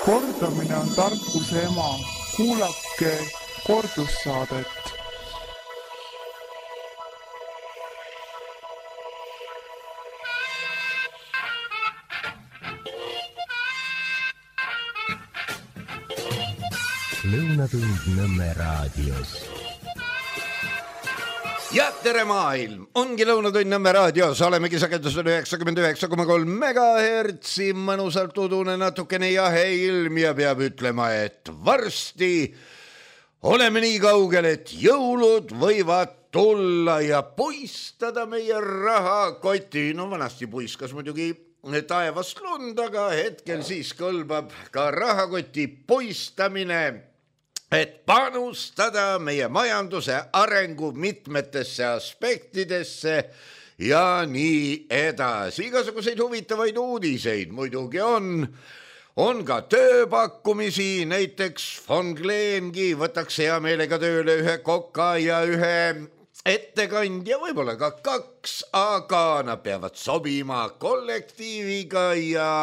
Kordamine on tarkuse ema. Kuulake kordussaadet. Lõunatund Nõmme raadios. Ja tere maailm! Ongi Lõunatund Nõmme raadios. Olemegi sagedusel 99,3 MHz. Mõnusalt udune natukene jahe ilm ja peab ütlema, et varsti oleme nii kaugel, et jõulud võivad tulla ja puistada meie rahakoti. No vanasti puiskas muidugi taevast lund, aga hetkel siis kõlbab ka rahakoti puistamine, et panustada meie majanduse arengu mitmetesse aspektidesse ja nii edasi. Igasuguseid huvitavaid uudiseid muidugi on ka tööpakkumisi, näiteks von Gleengi võtaks hea meelega tööle ühe koka ja ühe ettekandja, võib-olla ka kaks, aga nad peavad sobima kollektiiviga ja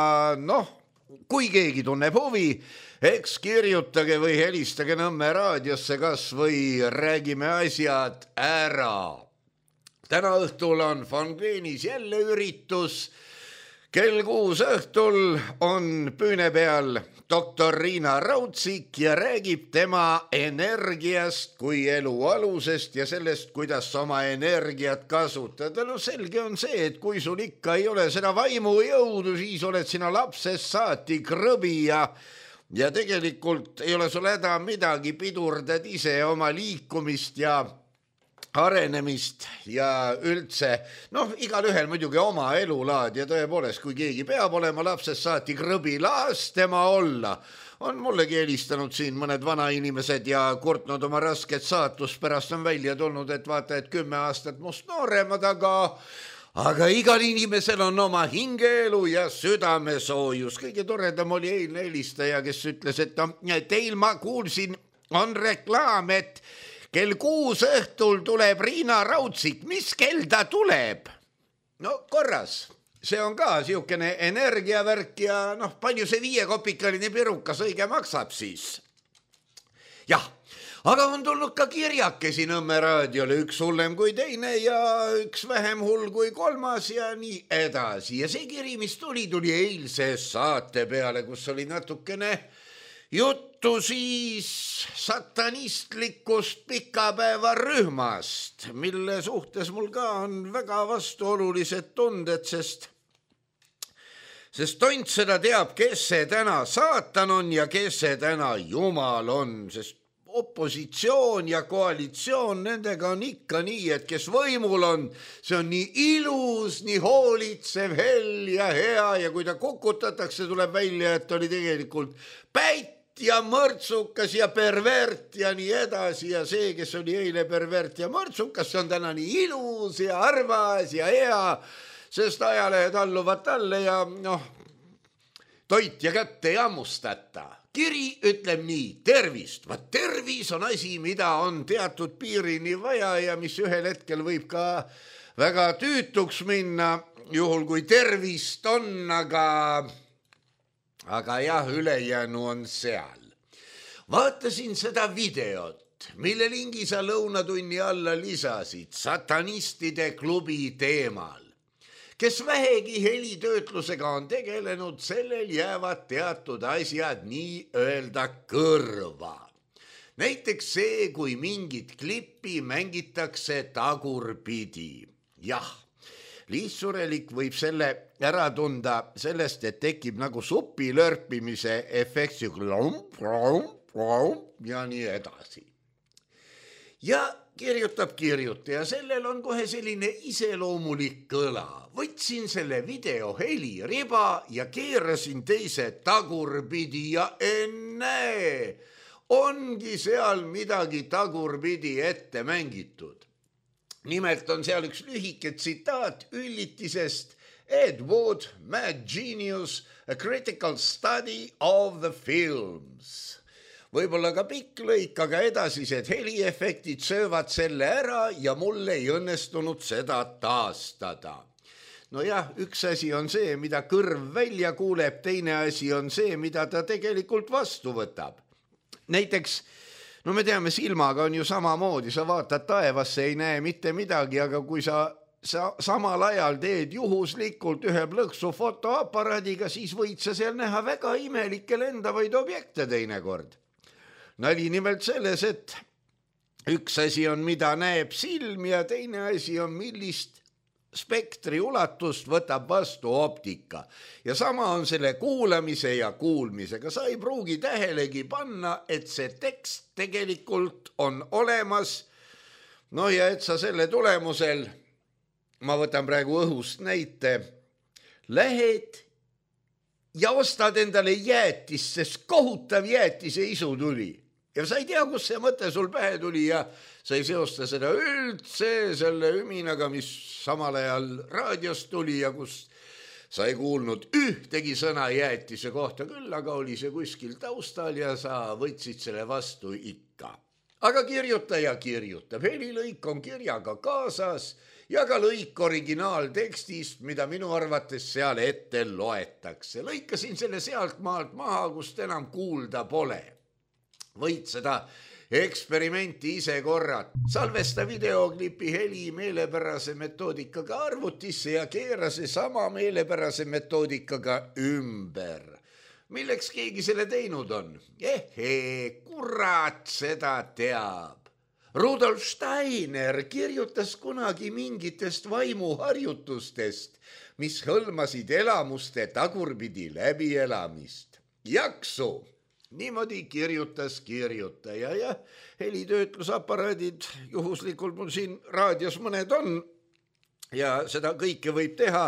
kui keegi tunneb huvi, eks kirjutage või helistage Nõmme raadiosse kas või räägime asjad ära. Täna õhtul on von Gleenis jälle üritus. Kell 6 õhtul on püüne peal doktor Riina Raudsik ja räägib tema energiast kui elu alusest ja sellest, kuidas oma energiat kasutada. No selge on see, et kui sul ikka ei ole seda vaimujõudu, siis oled sina lapsest saati krõbi ja tegelikult ei ole sul häda midagi, pidurdad ise oma liikumist ja arenemist ja üldse, igal ühel muidugi oma elulaad ja tõepoolest, kui keegi peab olema lapsest saati krõbi, las tema olla. On mullegi helistanud siin mõned vanainimesed ja kurtnud oma rasket saatust, pärast on välja tulnud, et vaata, et 10 aastat must nooremad, aga igal inimesel on oma hingeelu ja südamesoojus. Kõige toredam oli eilne helistaja, kes ütles, et teil ma kuulsin, on reklaam, et kell 6 õhtul tuleb Riina Raudsik. Mis kell ta tuleb? No korras. See on ka siukene energiavärk ja palju see 5-kopikaline pirukas õige maksab siis? Jah. Aga on tulnud ka kirjakesi Nõmme raadiole, üks hullem kui teine ja üks vähem hull kui kolmas ja nii edasi. Ja see kiri, mis tuli eilse saate peale, kus oli natukene juttu siis satanistlikust pikapäevarühmast, mille suhtes mul ka on väga vastuolulised tunded, sest tont seda teab, kes see täna saatan on ja kes see täna jumal on, sest opositsioon ja koalitsioon, nendega on ikka nii, et kes võimul on, see on nii ilus, nii hoolitsev, hell ja hea ja kui ta kukutatakse, tuleb välja, et oli tegelikult päit ja mõrtsukas ja pervert ja nii edasi ja see, kes oli eile pervert ja mõrtsukas, see on täna nii ilus ja armas ja hea, sest ajalehed alluvad talle ja toit ja kätte ei hammustata. Kiri ütleb nii, tervist. Tervis on asi, mida on teatud piirini vaja ja mis ühel hetkel võib ka väga tüütuks minna, juhul kui tervist on, aga jah, ülejäänu on seal. Vaatasin seda videot, mille lingi sa lõunatunni alla lisasid satanistide klubi teemal. Kes vähegi helitöötlusega on tegelenud, sellel jäävad teatud asjad nii öelda kõrva. Näiteks see, kui mingit klippi mängitakse tagurpidi. Jah, lihtsurelik võib selle ära tunda sellest, et tekib nagu supi lörpimise efekt ja nii edasi. Ja kirjutab ja sellel on kohe selline iseloomulik kõla. Võtsin selle video heliriba ja keerasin teise tagurpidi ja enne ongi seal midagi tagurpidi ette mängitud. Nimelt on seal üks lühike tsitaat üllitisest Ed Wood, Mad Genius, A Critical Study of the Films. Võib-olla ka pikk lõik, aga edasised heliefektid söövad selle ära ja mul ei õnnestunud seda taastada. Nojah, üks asi on see, mida kõrv välja kuuleb, teine asi on see, mida ta tegelikult vastu võtab. Näiteks, no me teame, silmaga on ju samamoodi, sa vaatad taevasse, ei näe mitte midagi, aga kui sa samal ajal teed juhuslikult ühe plõksu fotoaparaadiga, siis võid sa seal näha väga imelikke lendavaid objekte teinekord. Nali nimelt selles, et üks asi on, mida näeb silm ja teine asi on, millist spektri ulatust võtab vastu optika. Ja sama on selle kuulamise ja kuulmisega. Sa ei pruugi tähelegi panna, et see tekst tegelikult on olemas. No ja et sa selle tulemusel, ma võtan praegu õhust näite, lähed ja ostad endale jäätist, sest kohutav jäätise isu tuli. Ja sa ei tea, kus see mõte sul pähe tuli ja sa ei seosta seda üldse selle üminaga, mis samal ajal raadiost tuli ja kus sa ei kuulnud ühtegi sõna jäätise kohta, küll aga oli see kuskil taustal ja sa võtsid selle vastu ikka. Aga kirjuta ja kirjutab, helilõik on kirjaga kaasas ja ka lõik originaaltekstist, mida minu arvates seal ette loetakse. Lõikasin selle sealt maalt maha, kust enam kuulda pole. Võid seda eksperimenti ise korrata. Salvesta videoklipi heli meelepärase metoodikaga arvutisse ja keera see sama meelepärase metoodikaga ümber. Milleks keegi selle teinud on? Kurat seda teab. Rudolf Steiner kirjutas kunagi mingitest vaimuharjutustest, mis hõlmasid elamuste tagurpidi läbielamist. Jaksu! Niimoodi kirjutas kirjutaja ja helitöötlusaparaadid juhuslikult mul siin raadios mõned on ja seda kõike võib teha.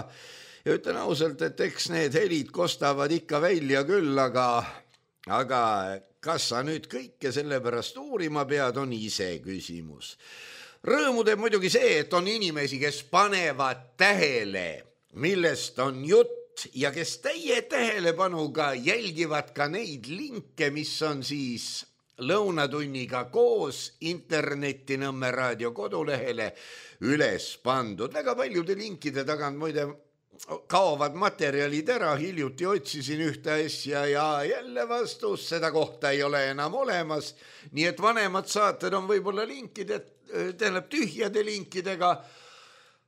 Ja ütlen ausalt, et eks need helid kostavad ikka välja küll, aga kas sa nüüd kõike sellepärast uurima pead, on ise küsimus. Rõõmu teeb muidugi see, et on inimesi, kes panevad tähele, millest on jutt, ja kes täie tähelepanuga jälgivad ka neid linke, mis on siis lõunatunniga koos interneti Nõmme raadio kodulehele üles pandud. Väga paljude linkide tagant muide kaovad materjalid ära, hiljuti otsisin ühte asja ja jälle vastus, seda kohta ei ole enam olemas, nii et vanemad saated on võib-olla linkide, tähendab tühjade linkidega,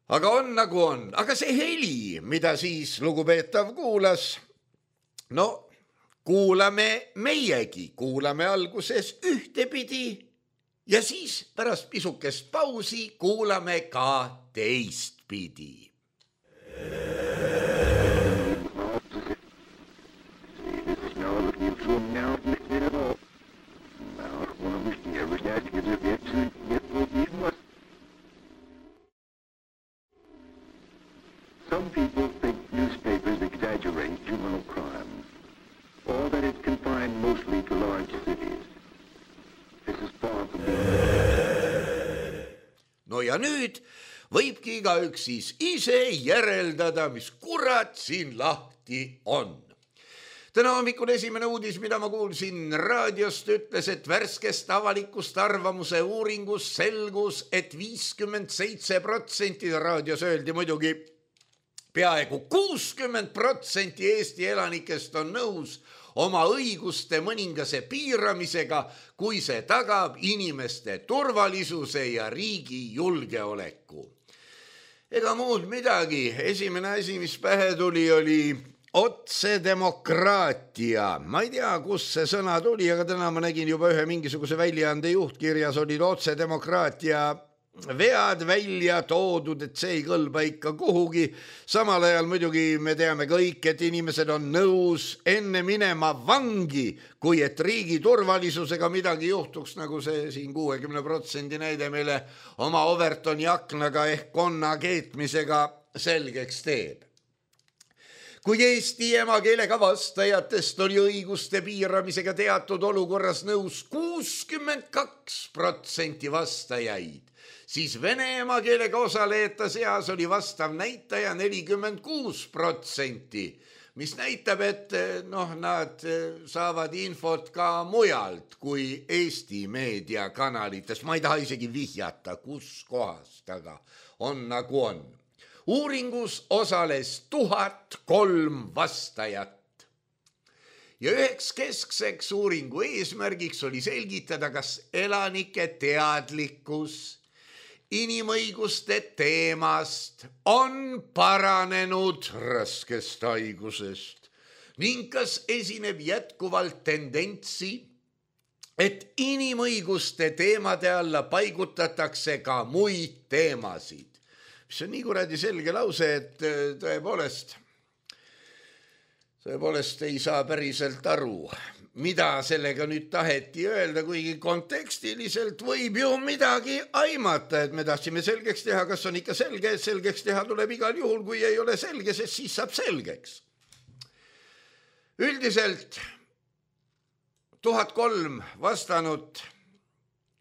aga on nagu on. Aga see heli, mida siis lugupeetav kuulas, no kuulame meiegi, kuulame alguses ühtepidi ja siis pärast pisukest pausi kuulame ka teistpidi. Some people think newspapers exaggerate juvenile crime, or that it's confined mostly to large cities. This is far from being... No ja nüüd võibki igaüks siis ise järeldada, mis kurat siin lahti on. Täna hommikul esimene uudis, mida ma kuulsin raadiost, ütles, et värskest avalikust arvamuse uuringus selgus, et 57% raadios öeldi muidugi peaaegu 60% Eesti elanikest on nõus oma õiguste mõningase piiramisega, kui see tagab inimeste turvalisuse ja riigi julgeoleku. Ega muud midagi. Esimene asi, mis pähe tuli, oli otsedemokraatia. Ma ei tea, kus see sõna tuli, aga täna ma nägin juba ühe mingisuguse väljaande juhtkirjas oli otsedemokraatia vead välja toodud, et see ei kõlba ikka kuhugi. Samal ajal muidugi me teame kõik, et inimesed on nõus enne minema vangi, kui et riigi turvalisusega midagi juhtuks, nagu see siin 60% näide meile oma Overtoni aknaga ehk konna keetmisega selgeks teeb. Kui Eesti emakeelega vastajatest oli õiguste piiramisega teatud olukorras nõus 62% vastajaid, siis vene emakeelega osalejate seas oli vastav näitaja 46%, mis näitab, et nad saavad infot ka mujalt kui Eesti meediakanalites. Ma ei taha isegi vihjata, kus kohast, aga on nagu on. Uuringus osales 1003 vastajat. Ja üheks keskseks uuringu eesmärgiks oli selgitada, kas elanike teadlikkus inimõiguste teemast on paranenud raskest haigusest ning kas esineb jätkuvalt tendentsi, et inimõiguste teemade alla paigutatakse ka muid teemasid. Mis on nii kuradi selge lause, et tõepoolest ei saa päriselt aru, mida sellega nüüd taheti öelda, kuigi kontekstiliselt võib ju midagi aimata, et me tahtsime selgeks teha, kas on ikka selge, et selgeks teha tuleb igal juhul, kui ei ole selge, sest siis saab selgeks. Üldiselt 1003 vastanud,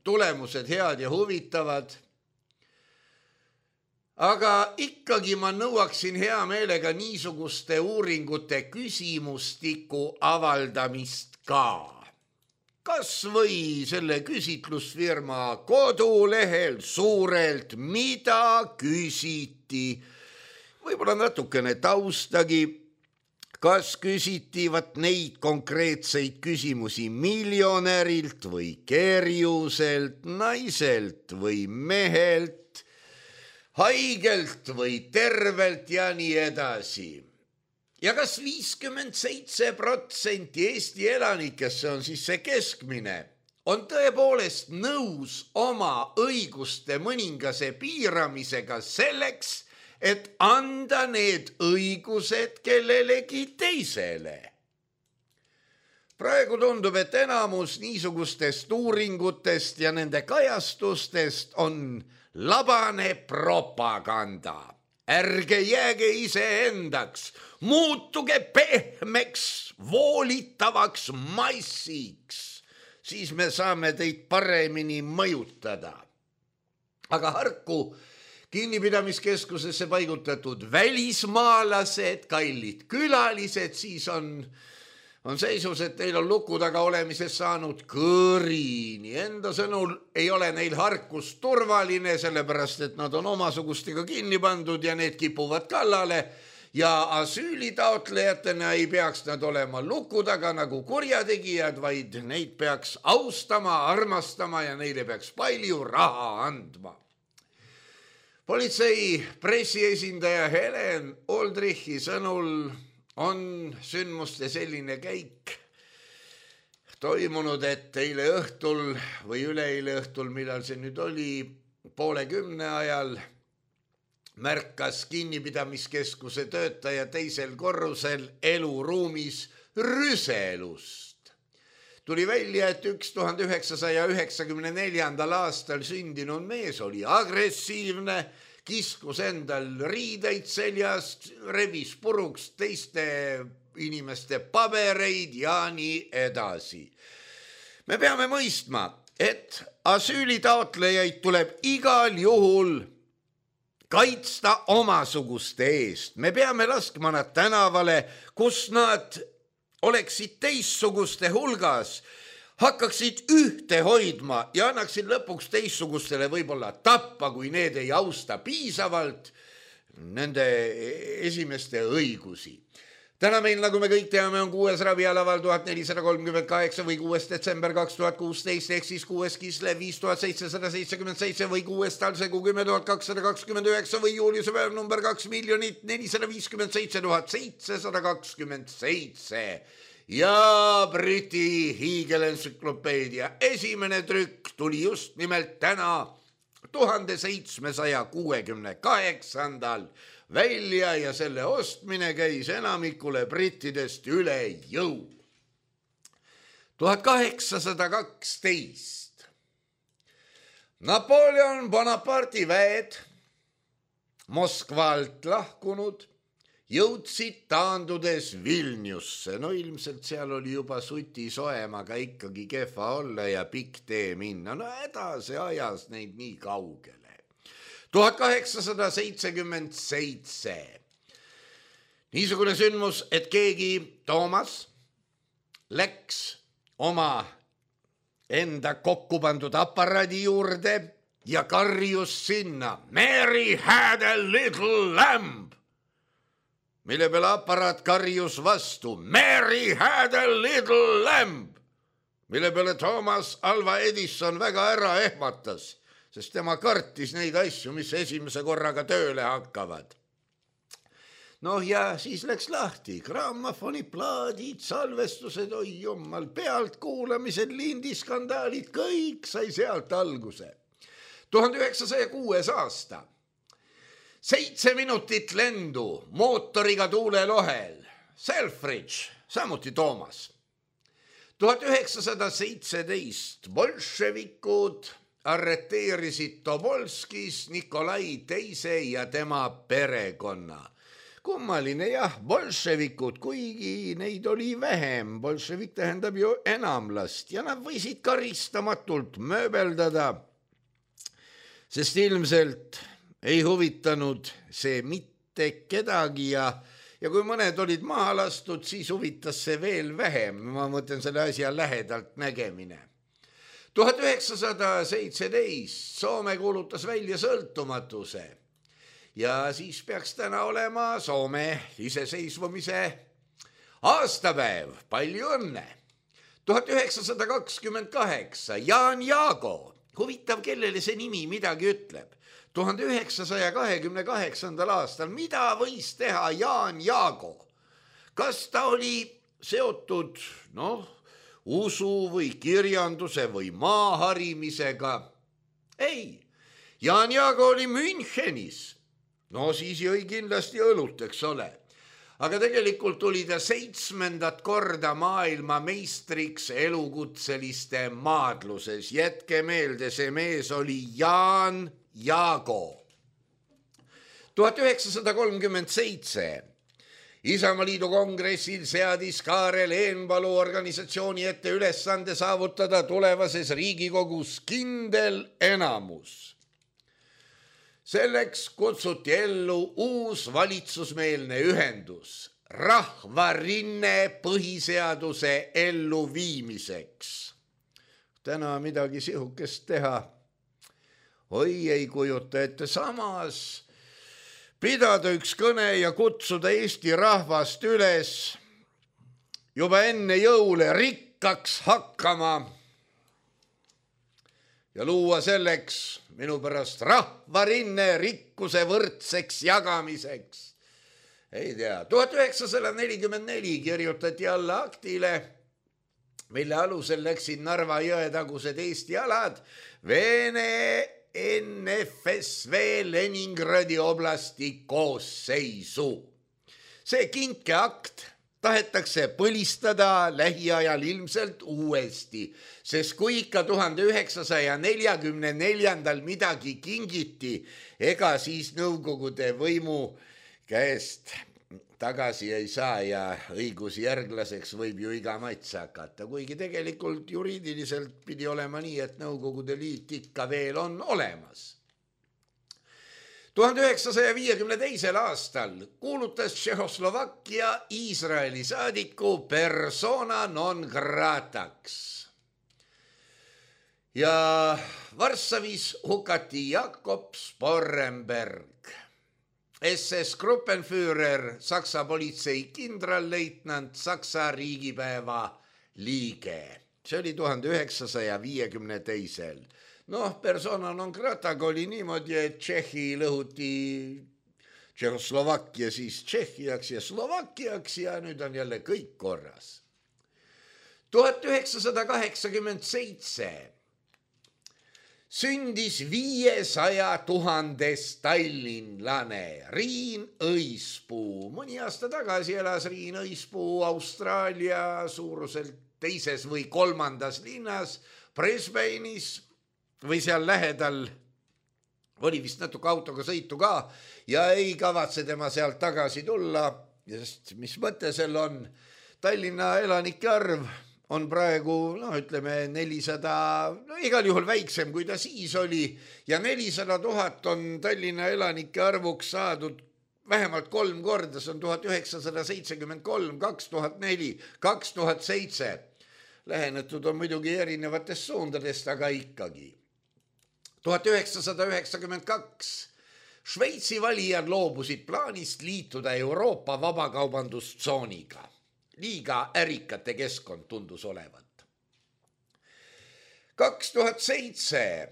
tulemused head ja huvitavad, aga ikkagi ma nõuaksin hea meelega niisuguste uuringute küsimustiku avaldamist ka. Kas või selle küsitlusfirma kodulehel suurelt, mida küsiti, võib-olla natukene taustagi, kas küsiti neid konkreetseid küsimusi miljonärilt või kerjuselt, naiselt või mehelt, haigelt või tervelt ja nii edasi. Ja kas 57% Eesti elanikest, see on siis see keskmine, on tõepoolest nõus oma õiguste mõningase piiramisega selleks, et anda need õigused kellelegi teisele. Praegu tundub, et enamus niisugustest uuringutest ja nende kajastustest on labane propaganda. Ärge jääge iseendaks, muutuge pehmeks, voolitavaks massiks, siis me saame teid paremini mõjutada. Aga harku kinnipidamiskeskusesse paigutatud välismaalased, kallid külalised, siis on seisus, et neil on luku taga olemises saanud kõrini. Enda sõnul ei ole neil harkus turvaline, sellepärast et nad on omasugustega kinni pandud ja need kipuvad kallale ja asüülitaotlejatena ei peaks nad olema luku taga nagu kurjategijad, vaid neid peaks austama, armastama ja neile peaks palju raha andma. Politsei pressiesindaja Helen Oldrichi sõnul on sündmuste selline käik toimunud, et eile õhtul või üleeile õhtul, millal see nüüd oli, 9:30 ajal märkas kinnipidamiskeskuse töötaja teisel korrusel eluruumis rüselust. Tuli välja, et 1994. aastal sündinud mees oli agressiivne, kiskus endal riideid seljast, revis puruks teiste inimeste pabereid ja nii edasi. Me peame mõistma, et asüülitaotlejaid tuleb igal juhul kaitsta omasuguste eest. Me peame laskma nad tänavale, kus nad oleksid teistsuguste hulgas, hakkaksid ühte hoidma ja annaksid lõpuks teistsugustele võib-olla tappa, kui need ei austa piisavalt nende esimeste õigusi. Täna meil, nagu me kõik teame, on 6. ravialaval 1438 või 6. detsember 2016 ehk siis 6. Kislev 5777 või 6. talsegu 10229 või juuliuse päev number 2 457 727 ja Briti hiigelentsüklopeedia esimene trükk tuli just nimelt täna 1768 välja ja selle ostmine käis enamikule brittidest üle jõu. 1812. Napoleon Bonaparte'i väed Moskvalt lahkunud jõudsid taandudes Vilniusse. No ilmselt seal oli juba suti soem, aga ikkagi kehva olla ja pikk tee minna. No edasi ajas neid nii kaugele. 1877. Niisugune sündmus, et keegi Toomas läks oma enda kokku pandud aparaadi juurde ja karjus sinna Mary had a little lamb, mille peale aparaat karjus vastu Mary had a little lamb, mille peale Thomas Alva Edison väga ära ehmatas, sest tema kartis neid asju, mis esimese korraga tööle hakkavad. Noh ja siis läks lahti, grammofoniplaadid, salvestused, oi jummal, pealtkuulamised, lindiskandaalid, kõik sai sealt alguse. 1906. aasta, 7 minutit lendu mootoriga tuulelohel, Selfridge, samuti Toomas. 1917 bolševikud arreteerisid Tobolskis Nikolai II ja tema perekonna. Kummaline jah, bolševikud, kuigi neid oli vähem, bolševik tähendab ju enamlast ja nad võisid karistamatult mööbeldada, sest ilmselt ei huvitanud see mitte kedagi ja kui mõned olid maha lastud, siis huvitas see veel vähem, ma mõtlen selle asja lähedalt nägemine. 1917 Soome kuulutas välja sõltumatuse ja siis peaks täna olema Soome iseseisvumise aastapäev, palju õnne. 1928 Jaan Jaago, huvitav, kellele see nimi midagi ütleb. 1928. aastal, mida võis teha Jaan Jaago? Kas ta oli seotud, usu või kirjanduse või maaharimisega? Ei, Jaan Jaago oli Münchenis. No siis jõi kindlasti õlut, eks ole. Aga tegelikult tuli ta 7. korda maailma meistriks elukutseliste maadluses. Jätke meelde, see mees oli Jaan Jaago. 1937 Isamaliidu kongressil seadis Kaarel Eenpalu organisatsiooni ette ülesande saavutada tulevases Riigikogus kindel enamus. Selleks kutsuti ellu uus valitsusmeelne ühendus, Rahvarinne põhiseaduse elluviimiseks. Täna midagi sihukest teha. Oi, ei kujuta ette, samas pidada üks kõne ja kutsuda Eesti rahvast üles juba enne jõule rikkaks hakkama ja luua selleks minu pärast rahvarinne rikkuse võrdseks jagamiseks. Ei tea, 1944 kirjutati alla aktile, mille alusel läksid Narva jõetagused Eesti alad Vene NFSV Leningradi oblasti koosseisu. See kinkeakt tahetakse põlistada lähiajal ilmselt uuesti, sest kui ikka 1944 midagi kingiti, ega siis Nõukogude võimu käest tagasi ei saa ja õigusjärglaseks võib ju iga mats hakata, kuigi tegelikult juriidiliselt pidi olema nii, et Nõukogude Liit ikka veel on olemas. 1952. aastal kuulutas Tšehhoslovakkia Iisraeli saadiku persona non grataks. Ja Varssavis hukati Jakob Sporrenberg, SS Gruppenführer, Saksa politsei kindralleitnant, Saksa riigipäeva liige. See oli 1952. Persona non grataga oli niimoodi, et Tšehhi lõhuti Tšehhoslovakkia siis Tšehhiaks ja Slovakkiaks ja nüüd on jälle kõik korras. 1987 sündis 500 000 tallinlane Riin Õispuu. Mõni aasta tagasi elas Riin Õispuu Austraalia suuruselt 2. või 3. linnas Brisbane'is või seal lähedal, oli vist natuke autoga sõitu ka ja ei kavatse tema sealt tagasi tulla, sest mis mõte seal on? Tallinna elanike arv on praegu, 400, igal juhul väiksem, kui ta siis oli ja 400 000 on Tallinna elanike arvuks saadud vähemalt 3 korda, see on 1973, 2004, 2007. Lähenetud on muidugi erinevatest suundadest, aga ikkagi. 1992 Šveitsi valijad loobusid plaanist liituda Euroopa vabakaubandustsooniga. Liiga ärikate keskkond tundus olevat. 2007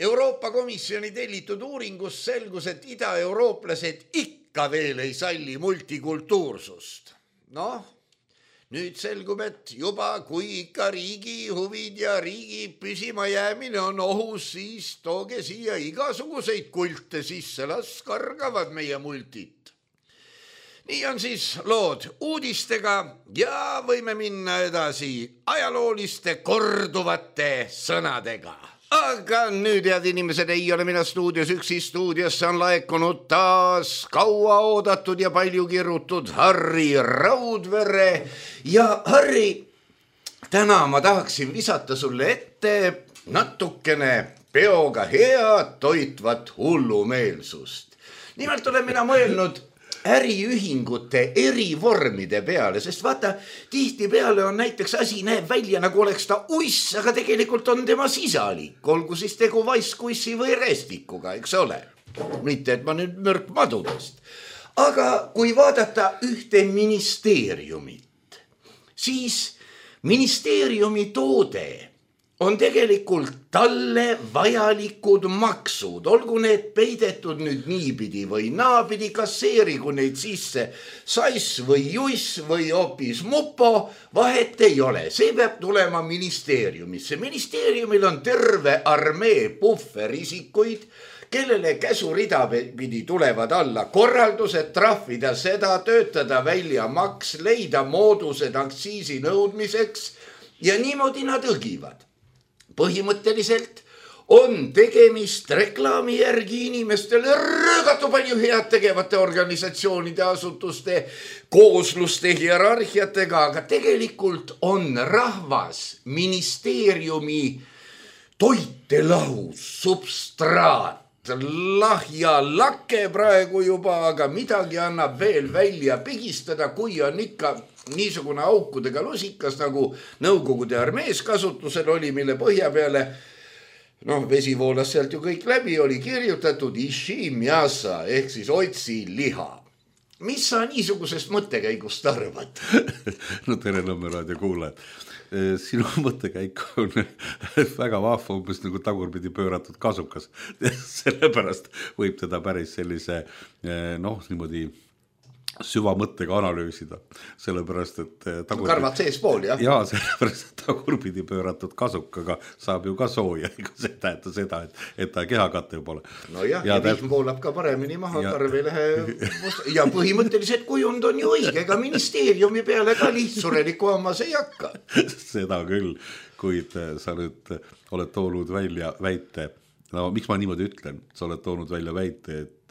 Euroopa Komisjoni tellitud uuringus selgus, et ida-eurooplased ikka veel ei salli multikultuursust. Nüüd selgub, et juba kui ikka riigi huvid ja riigi püsima jäämine on ohus, siis tooge siia igasuguseid kulte sisse, las kargavad meie multit. Nii on siis lood uudistega ja võime minna edasi ajalooliste korduvate sõnadega. Aga nüüd, head inimesed, ei ole mina stuudios üksi, stuudiosse on laekunud taas kaua oodatud ja palju kirutud Harri Raudvere. Ja Harri, täna ma tahaksin visata sulle ette natukene peoga head toitvat hullumeelsust. Nimelt olen mina mõelnud äriühingute eri vormide peale, sest vaata, tihti peale on näiteks asi näeb välja, nagu oleks ta uiss, aga tegelikult on tema sisalik, olgu siis tegu vaiskussi või restikuga, eks ole. Mitte, et ma nüüd mörk madudest. Aga kui vaadata ühte ministeeriumit, siis ministeeriumi toode on tegelikult talle vajalikud maksud, olgu need peidetud nüüd niipidi või naapidi, kasseerigu neid sisse sass või juss või hoopis mupo, vahet ei ole, see peab tulema ministeeriumisse. Ministeeriumil on terve armee pufferisikuid, kellele käsurida pidi tulevad alla korraldused, trahvida seda, töötada välja maks, leida moodused aktsiisi nõudmiseks ja niimoodi nad õgivad. Põhimõtteliselt on tegemist reklaami järgi inimestele rõõgatu palju head tegevate organisatsioonide, asutuste, koosluste, hierarhiatega, aga tegelikult on rahvas ministeeriumi toitelahus, substraat, lahja lake praegu juba, aga midagi annab veel välja pigistada, kui on ikka niisugune aukudega lusikas, nagu Nõukogude armees kasutusel oli, mille põhja peale, vesi voolas sealt ju kõik läbi, oli kirjutatud ishi mjasa ehk siis otsi liha. Mis sa niisugusest mõttekäigust arvad? Tere Nõmme raadio kuulajad. Sinu mõttekäik on väga vahva, umbes nagu tagurpidi pööratud kasukas. Sellepärast võib teda päris sellise, niimoodi süvamõttega analüüsida, sellepärast, et karvad sees pool, jah? Jaa, sellepärast, et tagurpidi pööratud kasukaga saab ju ka sooja, ega see tähenda seda, et ta kehakatte pole. No jah, ja vihm voolab ka paremini maha, karv ei lähe ja põhimõtteliselt kujund on ju õige, ega ministeeriumi peale ka lihtsureliku hammas ei hakka. Seda küll, kuid sa nüüd oled toonud välja väite, miks ma niimoodi ütlen, sa oled toonud välja väite, et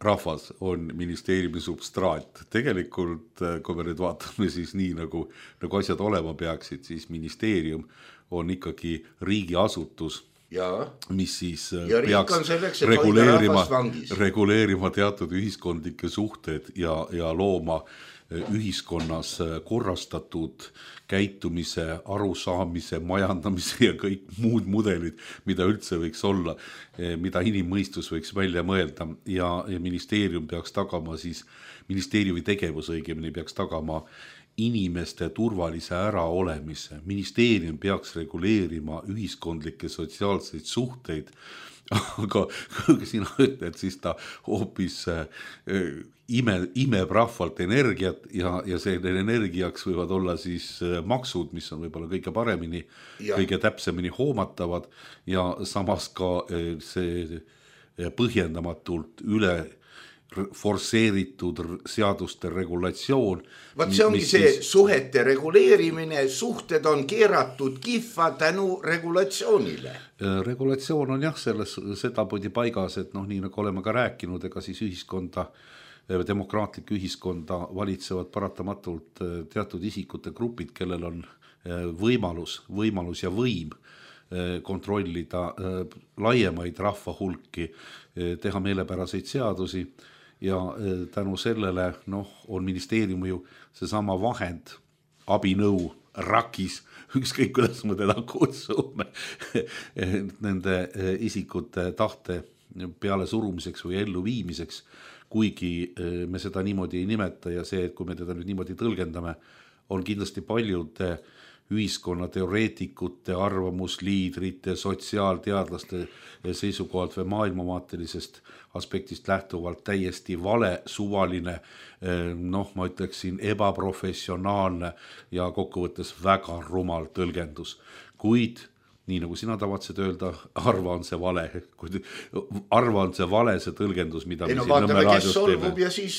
rahvas on ministeeriumi substraat. Tegelikult, kui me nüüd vaatame siis nii, nagu asjad olema peaksid, siis ministeerium on ikkagi riigiasutus, mis siis peaks reguleerima teatud ühiskondlikke suhted ja looma ühiskonnas korrastatud käitumise, arusaamise, majandamise ja kõik muud mudelid, mida üldse võiks olla, mida inimmõistus võiks välja mõelda ja ministeerium peaks tagama siis, ministeeriumi tegevus õigemini peaks tagama inimeste turvalise äraolemise. Ministeerium peaks reguleerima ühiskondlikke sotsiaalseid suhteid, aga kui sina ütled, siis ta hoopis imeb rahvalt energiat ja selle energiaks võivad olla siis maksud, mis on võib-olla kõige paremini, kõige täpsemini hoomatavad ja samas ka see põhjendamatult üle forsseeritud seaduste regulatsioon. Vaat see ongi see suhete reguleerimine, suhted on keeratud kihva tänu regulatsioonile. Regulatsioon on jah sedapidi paigas, et nii nagu oleme ka rääkinud, ega siis ühiskonda, demokraatlik ühiskonda valitsevad paratamatult teatud isikute grupid, kellel on võimalus ja võim kontrollida laiemaid rahva hulki, teha meelepäraseid seadusi ja tänu sellele on ministeerium ju seesama vahend abinõu rakis, ükskõik kuidas me teda kutsume, nende isikute tahte peale surumiseks või ellu viimiseks, kuigi me seda niimoodi ei nimeta ja see, et kui me teda nüüd niimoodi tõlgendame, on kindlasti paljude ühiskonna teoreetikute, arvamusliidrite, sotsiaalteadlaste seisukohalt või maailmavaatelisest aspektist lähtuvalt täiesti vale, suvaline, ma ütleksin ebaprofessionaalne ja kokkuvõttes väga rumal tõlgendus. Kuid nii nagu sina tavatsed öelda, arva on see vale. Arva on see vale, see tõlgendus, mida me siin Nõmme raadios teeme. Ja siis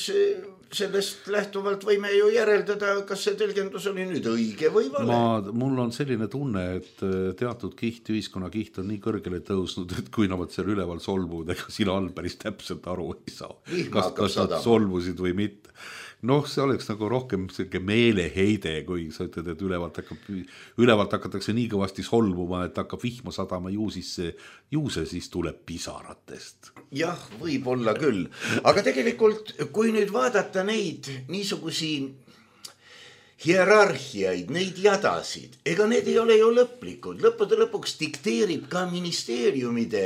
sellest lähtuvalt võime ju järeldada, kas see tõlgendus oli nüüd õige või vale. Mul on selline tunne, et teatud kiht, ühiskonna kiht on nii kõrgele tõusnud, et kui nad seal üleval solvuvad, ega sina all päris täpselt aru ei saa. Kas nad solvusid või mitte. See oleks nagu rohkem meeleheide, kui sa ütled, et ülevalt hakatakse nii kõvasti solvuma, et hakkab vihma sadama juuse, siis tuleb pisaratest. Jah, võib olla küll. Aga tegelikult, kui nüüd vaadata neid niisugusi hierarhiaid, neid jadasid, ega need ei ole ju lõplikud. Lõppude lõpuks dikteerib ka ministeeriumide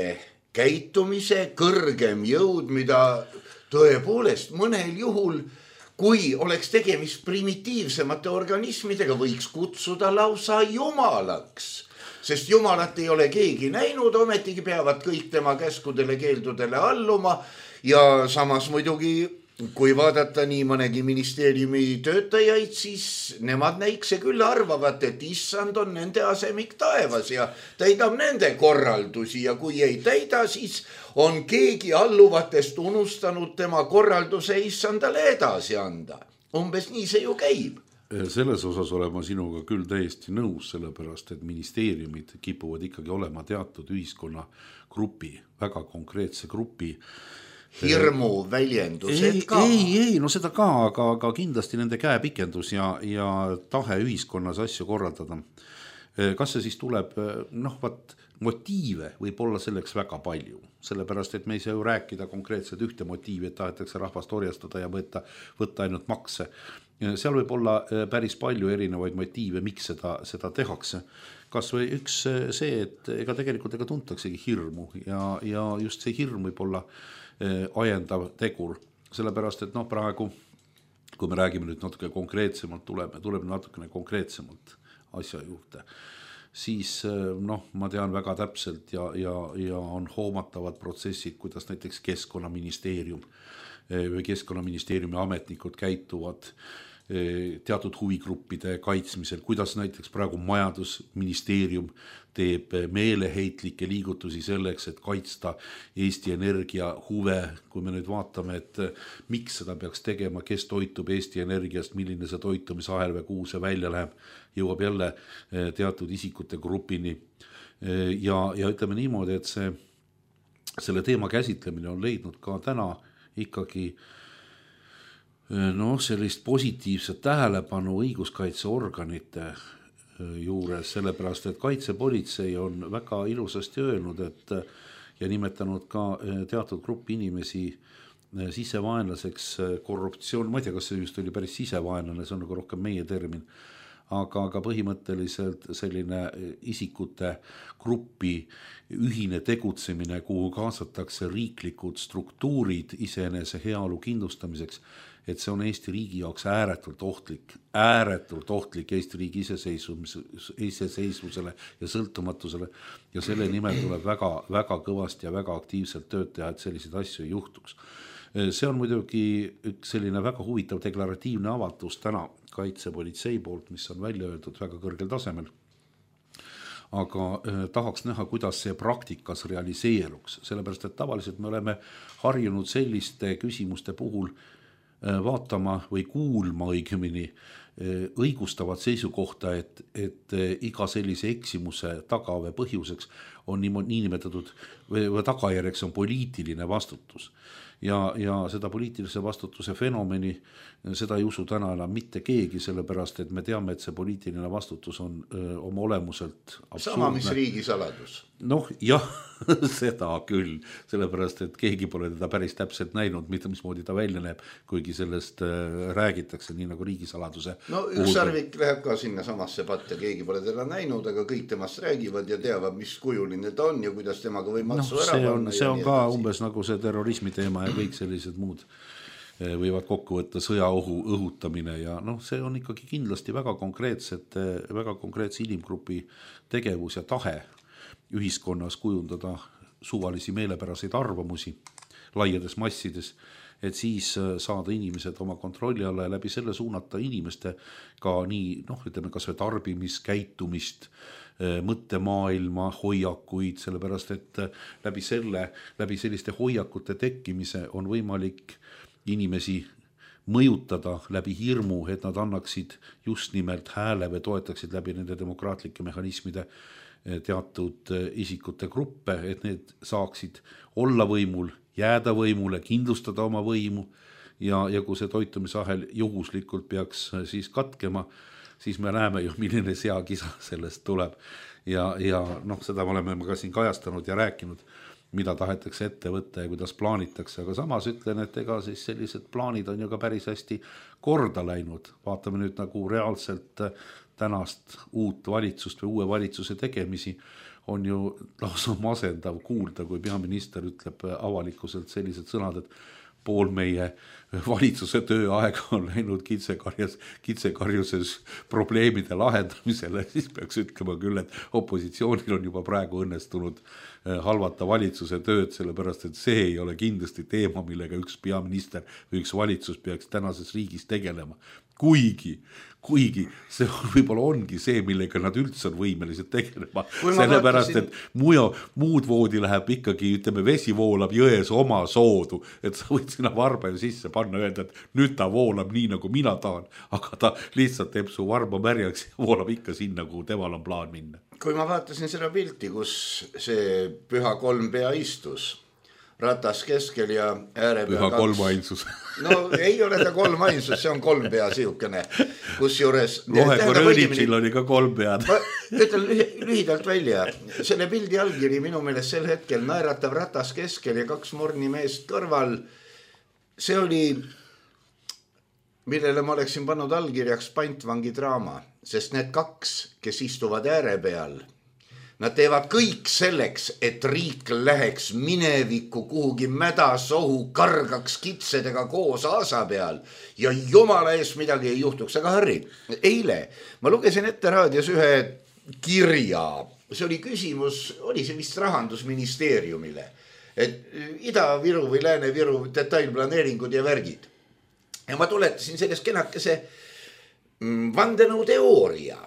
käitumise kõrgem jõud, mida tõepoolest mõnel juhul kui oleks tegemist primitiivsemate organismidega, võiks kutsuda lausa jumalaks. Sest jumalat ei ole keegi näinud, ometigi peavad kõik tema käskudele, keeldudele alluma. Ja samas muidugi, kui vaadata nii mõnegi ministeeriumi töötajaid, siis nemad näikse küll arvavat, et issand on nende asemik taevas ja täidab nende korraldusi ja kui ei täida, siis on keegi alluvatest unustanud tema korralduse issandale edasi anda. Umbes nii see ju käib. Selles osas olen ma sinuga küll täiesti nõus, sellepärast, et ministeeriumid kipuvad ikkagi olema teatud ühiskonna grupi, väga konkreetse grupi hirmu väljendused ka. Ei, seda ka, aga kindlasti nende käepikendus ja tahe ühiskonnas asju korraldada. Kas see siis tuleb, motiive võib olla selleks väga palju, sellepärast, et me ei saa ju rääkida konkreetselt ühte motiivi, et tahetakse rahvast orjastada ja võtta ainult makse. Seal võib olla päris palju erinevaid motiive, miks seda tehakse. Kas või üks see, et ega tegelikult tuntaksegi hirmu ja just see hirm võib olla ajendav tegur, sellepärast, et praegu, kui me räägime nüüd natuke konkreetsemalt, tuleb natukene konkreetsemalt asja juurde, siis ma tean väga täpselt ja on hoomatavad protsessid, kuidas näiteks Keskkonnaministeerium või Keskkonnaministeeriumi ametnikud käituvad teatud huvigruppide kaitsmisel, kuidas näiteks praegu majandusministeerium teeb meeleheitlikke liigutusi selleks, et kaitsta Eesti Energia huve, kui me nüüd vaatame, et miks seda peaks tegema, kes toitub Eesti Energiast, milline see toitumisahel või kuhu see välja läheb, jõuab jälle teatud isikute grupini ja ütleme niimoodi, et selle teema käsitlemine on leidnud ka täna ikkagi sellist positiivset tähelepanu õiguskaitseorganite juures, sellepärast, et kaitsepolitsei on väga ilusasti öelnud, ja nimetanud ka teatud gruppi inimesi sisevaenlaseks korruptsioon, ma ei tea, kas see just oli päris sisevaenlane, see on nagu rohkem meie termin, aga põhimõtteliselt selline isikute gruppi ühine tegutsemine, kuhu kaasatakse riiklikud struktuurid iseenese heaolu kindlustamiseks, et see on Eesti riigi jaoks ääretult ohtlik Eesti riigi iseseisvusele ja sõltumatusele ja selle nimel tuleb väga, väga kõvasti ja väga aktiivselt tööd teha, et selliseid asju ei juhtuks. See on muidugi üks selline väga huvitav deklaratiivne avatus täna kaitsepolitsei poolt, mis on välja öeldud väga kõrgel tasemel. Aga tahaks näha, kuidas see praktikas realiseeruks, sellepärast, et tavaliselt me oleme harjunud selliste küsimuste puhul vaatama või kuulma õigemini õigustavat seisukohta, et iga sellise eksimuse taga või põhjuseks on niinimetatud või tagajärjeks on poliitiline vastutus. Ja seda poliitilise vastutuse fenomeni, seda ei usu täna enam mitte keegi, sellepärast, et me teame, et see poliitiline vastutus on oma olemuselt absurdne. Sama, mis riigisaladus. Jah, seda küll, sellepärast, et keegi pole teda päris täpselt näinud, mismoodi ta välja näeb, kuigi sellest räägitakse, nii nagu riigisaladuse No üks sarvik läheb ka sinna samasse patta, keegi pole teda näinud, aga kõik temast räägivad ja teavad, mis kujuline ta on ja kuidas temaga või matsu ära panna. See on ka umbes nagu see terrorismi teema ja kõik sellised muud võivad kokku võtta sõjaohu õhutamine ja see on ikkagi kindlasti väga konkreetse inimgrupi tegevus ja tahe ühiskonnas kujundada suvalisi meelepäraseid arvamusi laiades massides, et siis saada inimesed oma kontrolli alla ja läbi selle suunata inimeste ka nii, ütleme kas või tarbimiskäitumist, mõttemaailma, hoiakuid, sellepärast et läbi selliste hoiakute tekkimise on võimalik inimesi mõjutada läbi hirmu, et nad annaksid just nimelt hääle või toetaksid läbi nende demokraatlike mehhanismide teatud isikute gruppe, et need saaksid olla võimul, jääda võimule, kindlustada oma võimu ja kui see toitumisahel juhuslikult peaks siis katkema, siis me näeme ju, milline seakisa sellest tuleb ja seda me oleme ka siin kajastanud ja rääkinud, mida tahetakse ette võtta ja kuidas plaanitakse, aga samas ütlen, et ega siis sellised plaanid on ju ka päris hästi korda läinud. Vaatame nüüd nagu reaalselt tänast uut valitsust või uue valitsuse tegemisi on ju lausa masendav kuulda, kui peaminister ütleb avalikkuselt sellised sõnad, et pool meie valitsuse tööaega on läinud kitsekarjuses probleemide lahendamisele, siis peaks ütlema küll, et opositsioonil on juba praegu õnnestunud halvata valitsuse tööd, sellepärast et see ei ole kindlasti teema, millega üks peaminister või üks valitsus peaks tänases riigis tegelema. Kuigi see võib-olla ongi see, millega nad üldse on võimelised tegelema, sellepärast et muud voodi läheb ikkagi, ütleme, vesi voolab jões oma soodu, et sa võid sinna varba ju sisse panna, öelda, et nüüd ta voolab nii, nagu mina tahan, aga ta lihtsalt teeb su varba märjaks ja voolab ikka sinna, kuhu temal on plaan minna. Kui ma vaatasin seda pilti, kus see püha kolmpea istus, ratas keskel ja äärepea püha kolmainsus. No ei ole ta kolmainsus, see on kolmpea siukene, kus juures... Lohekorõõlipsil oli ka kolmpead. Ma ütlen lühidalt välja, selle pildi allkiri minu meelest sel hetkel naeratav ratas keskel ja 2 morni meest kõrval, see oli, millele ma oleksin pannud allkirjaks pantvangi draama, sest need 2, kes istuvad ääre peal, nad teevad kõik selleks, et riik läheks minevikku kuhugi mädasohu, kargaks kitsedega koos aasa peal ja jumala eest midagi ei juhtuks. Aga Harri, eile ma lugesin ette raadios ühe kirja, see oli küsimus, oli see vist Rahandusministeeriumile, et Ida-Viru või Lääne-Viru detailplaneeringud ja värgid. Ja ma tuletasin sellest kenakese vandenõu teooria.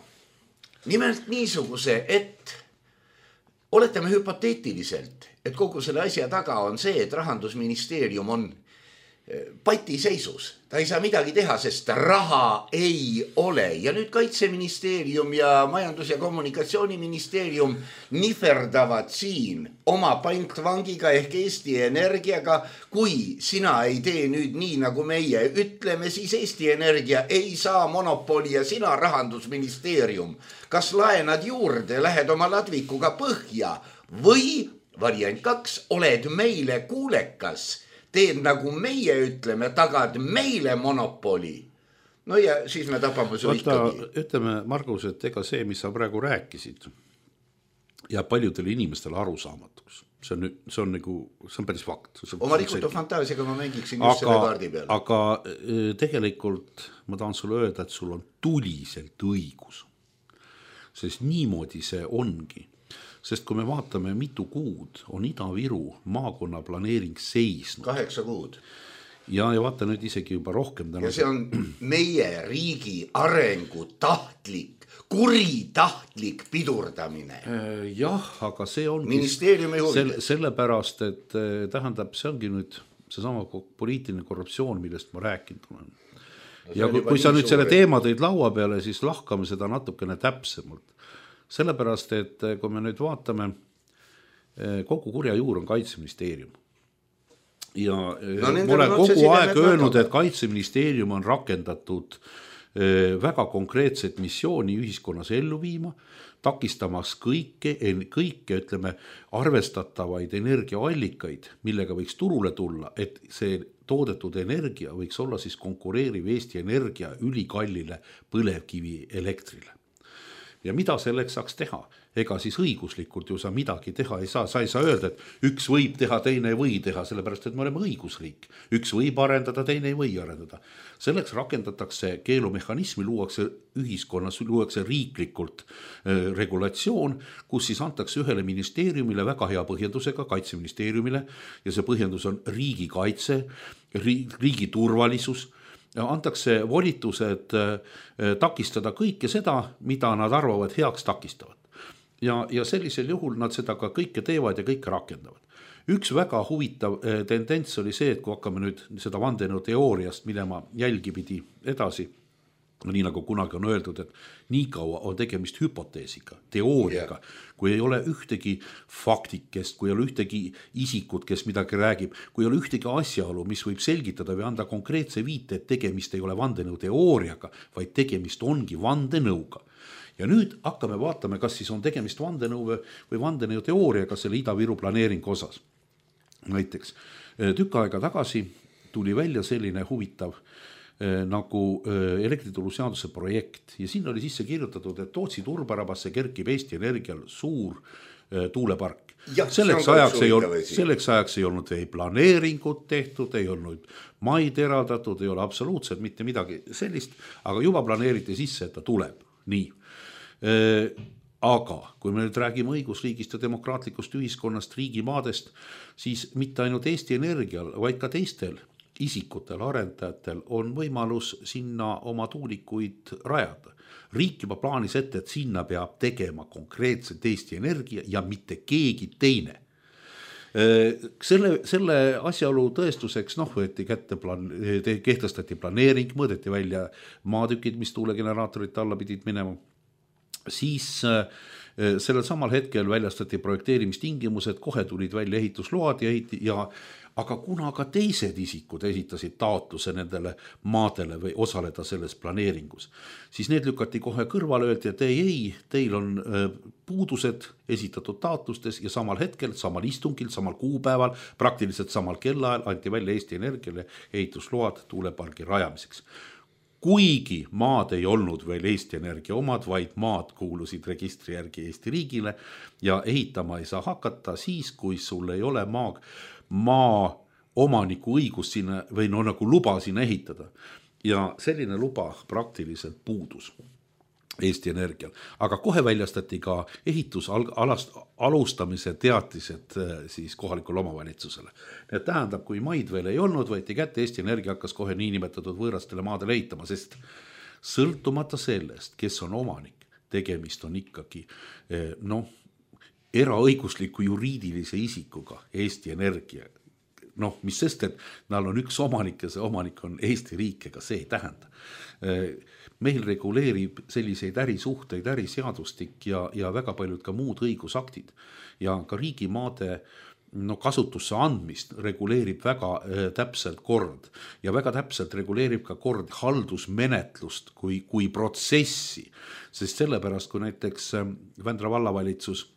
Nimelt niisuguse, et oletame hüpoteetiliselt, et kogu selle asja taga on see, et Rahandusministeerium on patiseisus. Ta ei saa midagi teha, sest raha ei ole. Ja nüüd Kaitseministeerium ja Majandus- ja Kommunikatsiooniministeerium niferdavad siin oma pantvangiga ehk Eesti Energiaga. Kui sina ei tee nüüd nii, nagu meie ütleme, siis Eesti Energia ei saa monopoli ja sina Rahandusministeerium. Kas laenad juurde, lähed oma ladvikuga põhja või variant 2, oled meile kuulekas, teed nagu meie ütleme, tagad meile monopoli. No ja siis me tapame su ikkagi. Ütleme, Margus, et ega see, mis sa praegu rääkisid, ja paljudele inimestele arusaamatuks. See on päris fakt. Oma rikutu fantaasiaga ma mängiksin just selle kaardi peal. Aga tegelikult ma tahan sulle öelda, et sul on tuliselt õigus. Sest niimoodi see ongi. Sest kui me vaatame, mitu kuud on Ida-Viru maakonna planeering seisnud. 8 kuud. Ja vaata nüüd isegi juba rohkem. Ja see on meie riigi arengu kuritahtlik pidurdamine. Jah, aga see on ministeeriumi huvides. Sellepärast, et tähendab, see ongi nüüd seesama poliitiline korruptsioon, millest ma rääkinud olen. Ja kui sa nüüd selle teema tõid laua peale, siis lahkame seda natukene täpsemalt. Sellepärast, et kui me nüüd vaatame, kogu kurja juur on Kaitseministeerium. Ja ma olen kogu aeg öelnud, et Kaitseministeerium on rakendatud väga konkreetset missiooni ühiskonnas ellu viima, takistamas kõike, ütleme, arvestatavaid energiaallikaid, millega võiks turule tulla, et see toodetud energia võiks olla siis konkureeriv Eesti Energia ülikallile põlevkivi elektrile. Ja mida selleks saaks teha? Ega siis õiguslikult ju sa midagi teha ei saa. Sa ei saa öelda, et üks võib teha, teine ei või teha, sellepärast, et me oleme õigusriik. Üks võib arendada, teine ei või arendada. Selleks rakendatakse keelumehhanismi, luuakse ühiskonnas, luuakse riiklikult regulatsioon, kus siis antakse ühele ministeeriumile väga hea põhjendusega, kaitseministeeriumile, ja see põhjendus on riigikaitse, riigi turvalisus, antakse volitused takistada kõike seda, mida nad arvavad heaks takistavad. Ja sellisel juhul nad seda ka kõike teevad ja kõike rakendavad. Üks väga huvitav tendents oli see, et kui hakkame nüüd seda vandenõu teooriast minema jälgipidi edasi, nii nagu kunagi on öeldud, et nii kaua on tegemist hüpoteesiga, teooriaga, kui ei ole ühtegi faktikest, kui ei ole ühtegi isikut, kes midagi räägib, kui ei ole ühtegi asjaolu, mis võib selgitada või anda konkreetse viite, et tegemist ei ole vandenõu teooriaga, vaid tegemist ongi vandenõuga. Ja nüüd hakkame vaatame, kas siis on tegemist vandenõu või vandenõu teooriaga selle Ida-Viru planeeringu osas. Näiteks tükk aega tagasi tuli välja selline huvitav nagu elektrituruseaduse projekt ja siin oli sisse kirjutatud, et Tootsi turbarabasse kerkib Eesti Energial suur tuulepark. Selleks ajaks ei olnud ei planeeringut tehtud, ei olnud maid eraldatud, ei ole absoluutselt mitte midagi sellist, aga juba planeeriti sisse, et ta tuleb. Nii. Aga kui me nüüd räägime õigusriigist ja demokraatlikust ühiskonnast, riigimaadest, siis mitte ainult Eesti Energial, vaid ka teistel isikutel, arendajatel on võimalus sinna oma tuulikuid rajada. Riik juba plaanis ette, et sinna peab tegema konkreetselt Eesti Energia ja mitte keegi teine. Selle asjaolu tõestuseks võeti kätte kehtestati planeering, mõõdeti välja maatükid, mis tuulegeneraatorite alla pidid minema. Siis sellel samal hetkel väljastati projekteerimistingimused, kohe tulid välja ehitusload aga kuna ka teised isikud esitasid taotluse nendele maadele või osaleda selles planeeringus, siis need lükati kohe kõrvale, öeldi, et ei, teil on puudused esitatud taotlustes ja samal hetkel, samal istungil, samal kuupäeval, praktiliselt samal kellaajal anti välja Eesti Energiale ehitusload tuulepargi rajamiseks. Kuigi maad ei olnud veel Eesti Energia omad, vaid maad kuulusid registri järgi Eesti riigile ja ehitama ei saa hakata siis, kui sul ei ole maa omaniku õigus sinna või nagu luba sinna ehitada. Ja selline luba praktiliselt puudus Eesti Energial. Aga kohe väljastati ka alustamise teatised siis kohalikule omavalitsusele. Need tähendab, kui maid veel ei olnud, võeti kätte, Eesti Energia hakkas kohe niinimetatud võõrastele maadele ehitama, sest sõltumata sellest, kes on omanik, tegemist on ikkagi eraõigusliku juriidilise isikuga Eesti Energia. Mis sest, et näil on üks omanik ja see omanik on Eesti riik, ega see ei tähenda. Meil reguleerib selliseid ärisuhteid, äriseadustik ja väga paljud ka muud õigusaktid ja ka riigimaade kasutusse andmist reguleerib väga täpselt kord ja väga täpselt reguleerib ka kord haldusmenetlust kui protsessi, sest sellepärast, kui näiteks Vändra vallavalitsus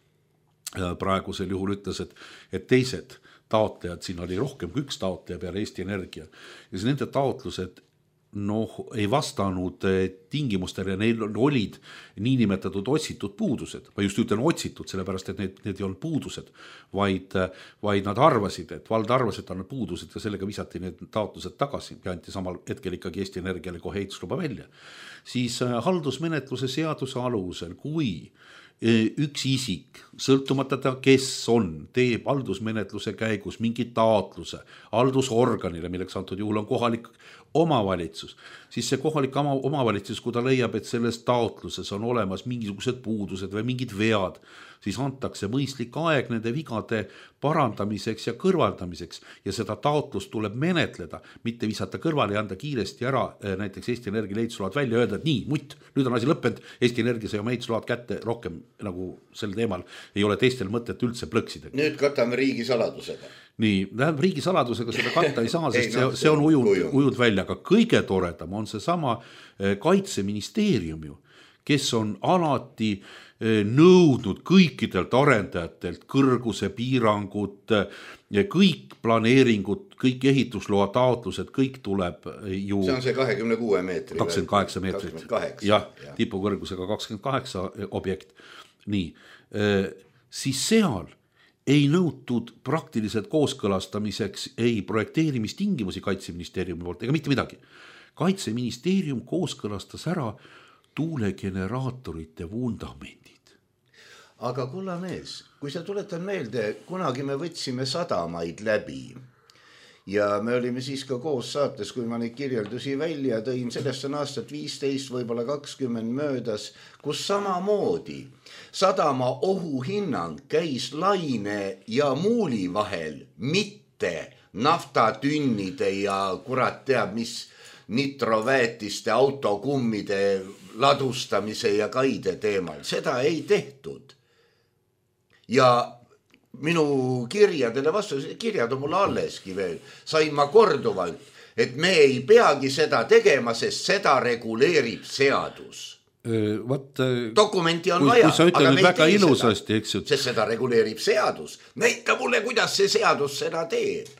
praegusel juhul ütles, et teised taotlejad, siin oli rohkem kui üks taotleja peale Eesti Energia ja siis nende taotlused ei vastanud tingimustele, neil olid niinimetatud otsitud puudused. Ma just ütlen otsitud, sellepärast, et need ei olnud puudused, vaid nad arvasid, et vald arvas, et on puudused ja sellega visati need taotlused tagasi ja anti samal hetkel ikkagi Eesti Energiale kohe ehitusluba välja. Siis haldusmenetluse seaduse alusel, kui üks isik, sõltumata ta, kes on, teeb haldusmenetluse käigus mingi taotluse haldusorganile, milleks antud juhul on kohalik omavalitsus, siis see kohalik omavalitsus, kui ta leiab, et selles taotluses on olemas mingisugused puudused või mingid vead, siis antakse mõistlik aeg nende vigade parandamiseks ja kõrvaldamiseks ja seda taotlust tuleb menetleda, mitte visata kõrvale ja anda kiiresti ära näiteks Eesti Energia ehitusload välja ja öelda, et nii, nüüd on asi lõppenud, Eesti Energia sai oma ehitusload kätte, rohkem nagu sel teemal ei ole teistel mõtet üldse plõksida. Nüüd katame riigisaladusega. Nii, riigisaladusega seda katta ei saa, sest see on ujud välja, aga kõige toredam on see sama kaitseministeerium ju, kes on alati nõudnud kõikidelt arendajatelt kõrguse piirangud, kõik planeeringud, kõik ehitusloa taotlused, kõik tuleb ju... See on see 26 meetri. 28 meetrit. 28. Jah, tipukõrgusega 28 objekt. Nii, siis seal ei nõutud praktiliselt kooskõlastamiseks ei projekteerimistingimusi Kaitseministeeriumi poolt ega mitte midagi. Kaitseministeerium kooskõlastas ära tuulegeneraatorite vundamendid. Aga kulla mees, kui sa tuletan meelde, kunagi me võtsime sadamaid läbi ja me olime siis ka koos saates, kui ma neid kirjeldusi välja tõin, sellest on aastat 15, võib-olla 20 möödas, kus samamoodi sadama ohuhinnang käis laine ja muuli vahel, mitte naftatünnide ja kurat teab mis nitroväetiste autokummide ladustamise ja kaide teemal. Seda ei tehtud. Ja minu kirjadele vastu, kirjad on mulle alleski veel, sain ma korduvalt, et me ei peagi seda tegema, sest seda reguleerib seadus. Dokumenti on vaja, aga me ei tee ilusasti, seda, sest seda reguleerib seadus. Näita mulle, kuidas see seadus seda teeb.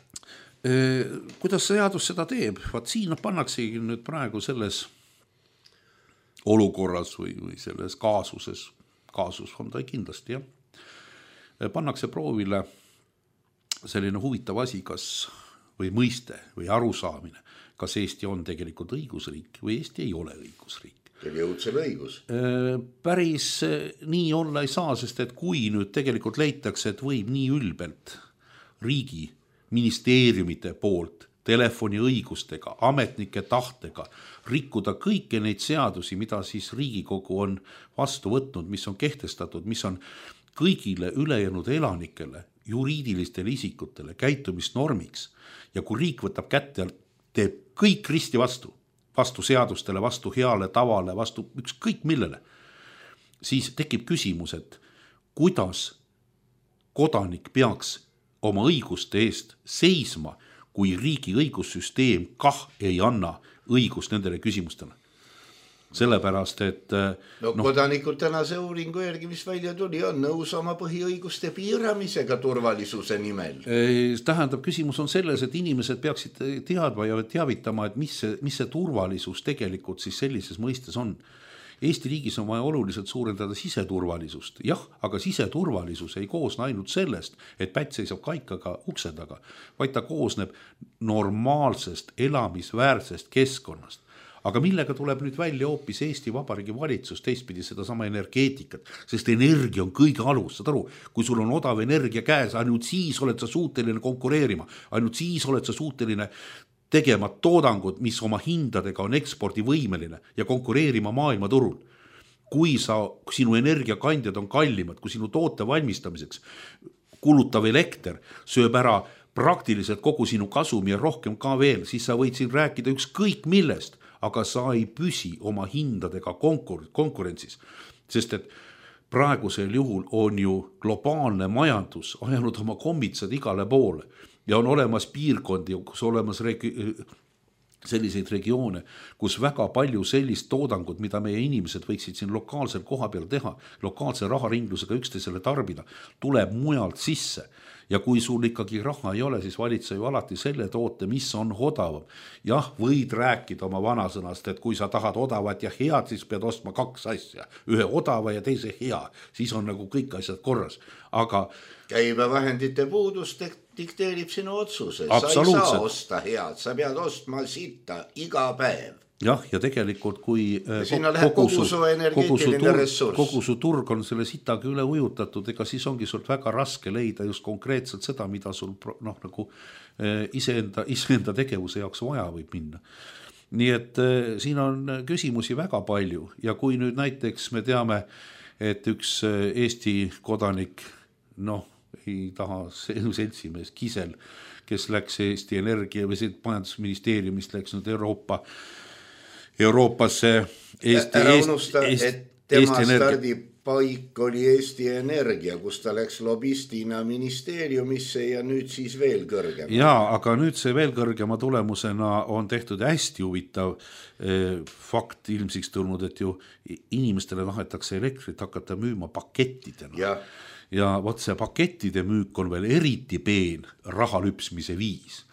Kuidas seadus seda teeb? Vaat siin pannaksegi nüüd praegu selles olukorras või selles kaasuses, kaasus on ta kindlasti, jah. Pannakse proovile selline huvitav asi, kas või mõiste või arusaamine, kas Eesti on tegelikult õigusriik või Eesti ei ole õigusriik. Teil jõudsel õigus. Päris nii olla ei saa, sest et kui nüüd tegelikult leitakse, et võib nii ülbelt riigi ministeeriumite poolt telefoni õigustega, ametnike tahtega rikkuda kõiki neid seadusi, mida siis Riigikogu on vastu võtnud, mis on kehtestatud, mis on kõigile ülejäänud elanikele, juriidilistele isikutele käitumisnormiks ja kui riik võtab kätte ja teeb kõik risti vastu seadustele, vastu heale tavale, vastu ükskõik millele, siis tekib küsimus, et kuidas kodanik peaks oma õiguste eest seisma, kui riigi õigussüsteem kah ei anna õigust nendele küsimustele. Sellepärast, et... Kodanikud tänase uuringu järgi, mis välja tuli, on nõus oma põhiõiguste piiramisega turvalisuse nimel. Tähendab, küsimus on selles, et inimesed peaksid teadma ja teavitama, et mis see turvalisus tegelikult siis sellises mõistes on. Eesti riigis on vaja oluliselt suurendada siseturvalisust. Jah, aga siseturvalisus ei koosne ainult sellest, et pätt seisab kaikaga ukse taga, vaid ta koosneb normaalsest, elamisväärsest keskkonnast. Aga millega tuleb nüüd välja hoopis Eesti Vabariigi valitsus teistpidi sedasama energeetikat, sest energia on kõige alus, saad aru, kui sul on odav energia käes, ainult siis oled sa suuteline konkureerima, ainult siis oled sa suuteline tegema toodangud, mis oma hindadega on ekspordivõimeline ja konkureerima maailmaturul. Kui sinu energiakandjad on kallimad, kui sinu toote valmistamiseks kulutav elekter sööb ära praktiliselt kogu sinu kasumi ja rohkem ka veel, siis sa võid siin rääkida ükskõik millest, aga sa ei püsi oma hindadega konkurentsis, sest et praegusel juhul on ju globaalne majandus ajanud oma kommitsad igale poole ja on olemas piirkondi, kus olemas selliseid regioone, kus väga palju sellist toodangut, mida meie inimesed võiksid siin lokaalsel koha peal teha, lokaalse raharinglusega üksteisele tarbida, tuleb mujalt sisse. Ja kui sul ikkagi raha ei ole, siis valitse ju alati selle toote, mis on odavam. Jah, võid rääkida oma vanasõnast, et kui sa tahad odavat ja head, siis pead ostma kaks asja. Ühe odava ja teise hea. Siis on nagu kõik asjad korras. Aga käibevahendite puudus dikteerib sinu otsuse. Sa ei saa osta head, sa pead ostma sitta iga päev. Jah, ja tegelikult kui kogu su turg on selle sitaga üle ujutatud, ega siis ongi sult väga raske leida just konkreetselt seda, mida sul nagu iseenda tegevuse jaoks vaja võib minna. Nii et siin on küsimusi väga palju ja kui nüüd näiteks me teame, et üks Eesti kodanik, ei taha seltsimees Kisel, kes läks Eesti Energia või majandusministeeriumist läks nüüd Euroopasse ära unusta, et tema paik oli Eesti Energia, kus ta läks lobistina ministeeriumisse ja nüüd siis veel kõrgema. Jaa, aga nüüd see veel kõrgema tulemusena on tehtud hästi huvitav fakt ilmsiks tulnud, et ju inimestele tahetakse elektrit hakata müüma pakettidena. Ja vot see pakettide müük on veel eriti peen raha lüpsmise viis.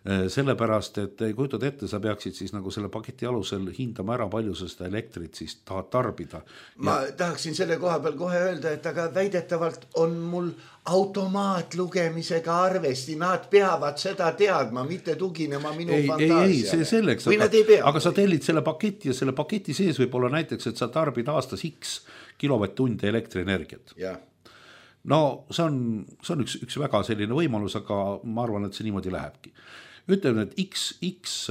Sellepärast, et kujutad ette, sa peaksid siis nagu selle paketi alusel hindama ära, palju sa seda elektrit siis tahad tarbida. Ma tahaksin selle koha peal kohe öelda, et aga väidetavalt on mul automaatlugemisega arvesti, nad peavad seda teadma, mitte tuginema minu fantaasiale. Ei, see selleks, aga sa tellid selle paketi ja selle paketi sees võib olla näiteks, et sa tarbid aastas X kilovatt-tunde elektrienergiat. No see on üks väga selline võimalus, aga ma arvan, et see niimoodi lähebki. Ütleme, et X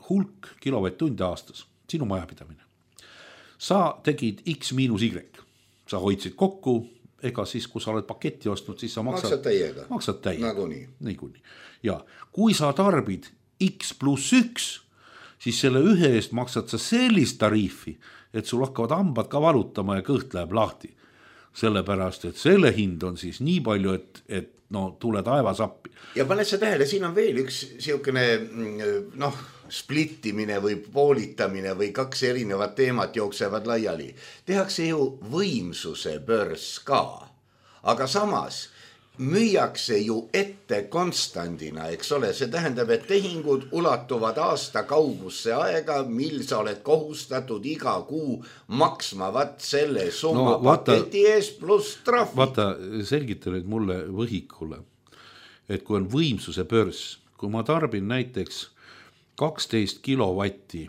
hulk kilovatt-tunde aastas, sinu majapidamine. Sa tegid X miinus Y, sa hoidsid kokku, ega siis, kui sa oled paketti ostnud, siis sa maksad täiega. Nagunii. Ja kui sa tarbid X pluss 1, siis selle ühe eest maksad sa sellist tariifi, et sul hakkavad hambad ka valutama ja kõht läheb lahti. Sellepärast, et selle hind on siis nii palju, et no tule taevas appi. Ja paned sa tähele, siin on veel üks siukene splittimine või poolitamine või kaks erinevat teemat jooksevad laiali. Tehakse ju võimsuse börs ka, aga samas müüakse ju ette konstandina, eks ole, see tähendab, et tehingud ulatuvad aasta kaugusse aega, mil sa oled kohustatud iga kuu maksma selle summa paketi ees pluss trahvi. Vaata, selgita nüüd mulle võhikule, et kui on võimsuse börs, kui ma tarbin näiteks 12 kilovatti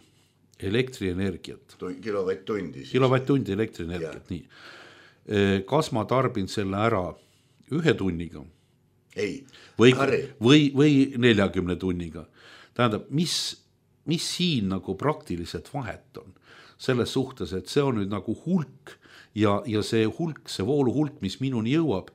elektrienergiat. Kilovatt-tundi elektrienergiat, nii. Kas ma tarbin selle ära 1 tunniga või 40 tunniga. Tähendab, mis siin nagu praktiliselt vahet on selles suhtes, et see on nüüd nagu hulk ja see hulk, see voolu hulk, mis minuni jõuab,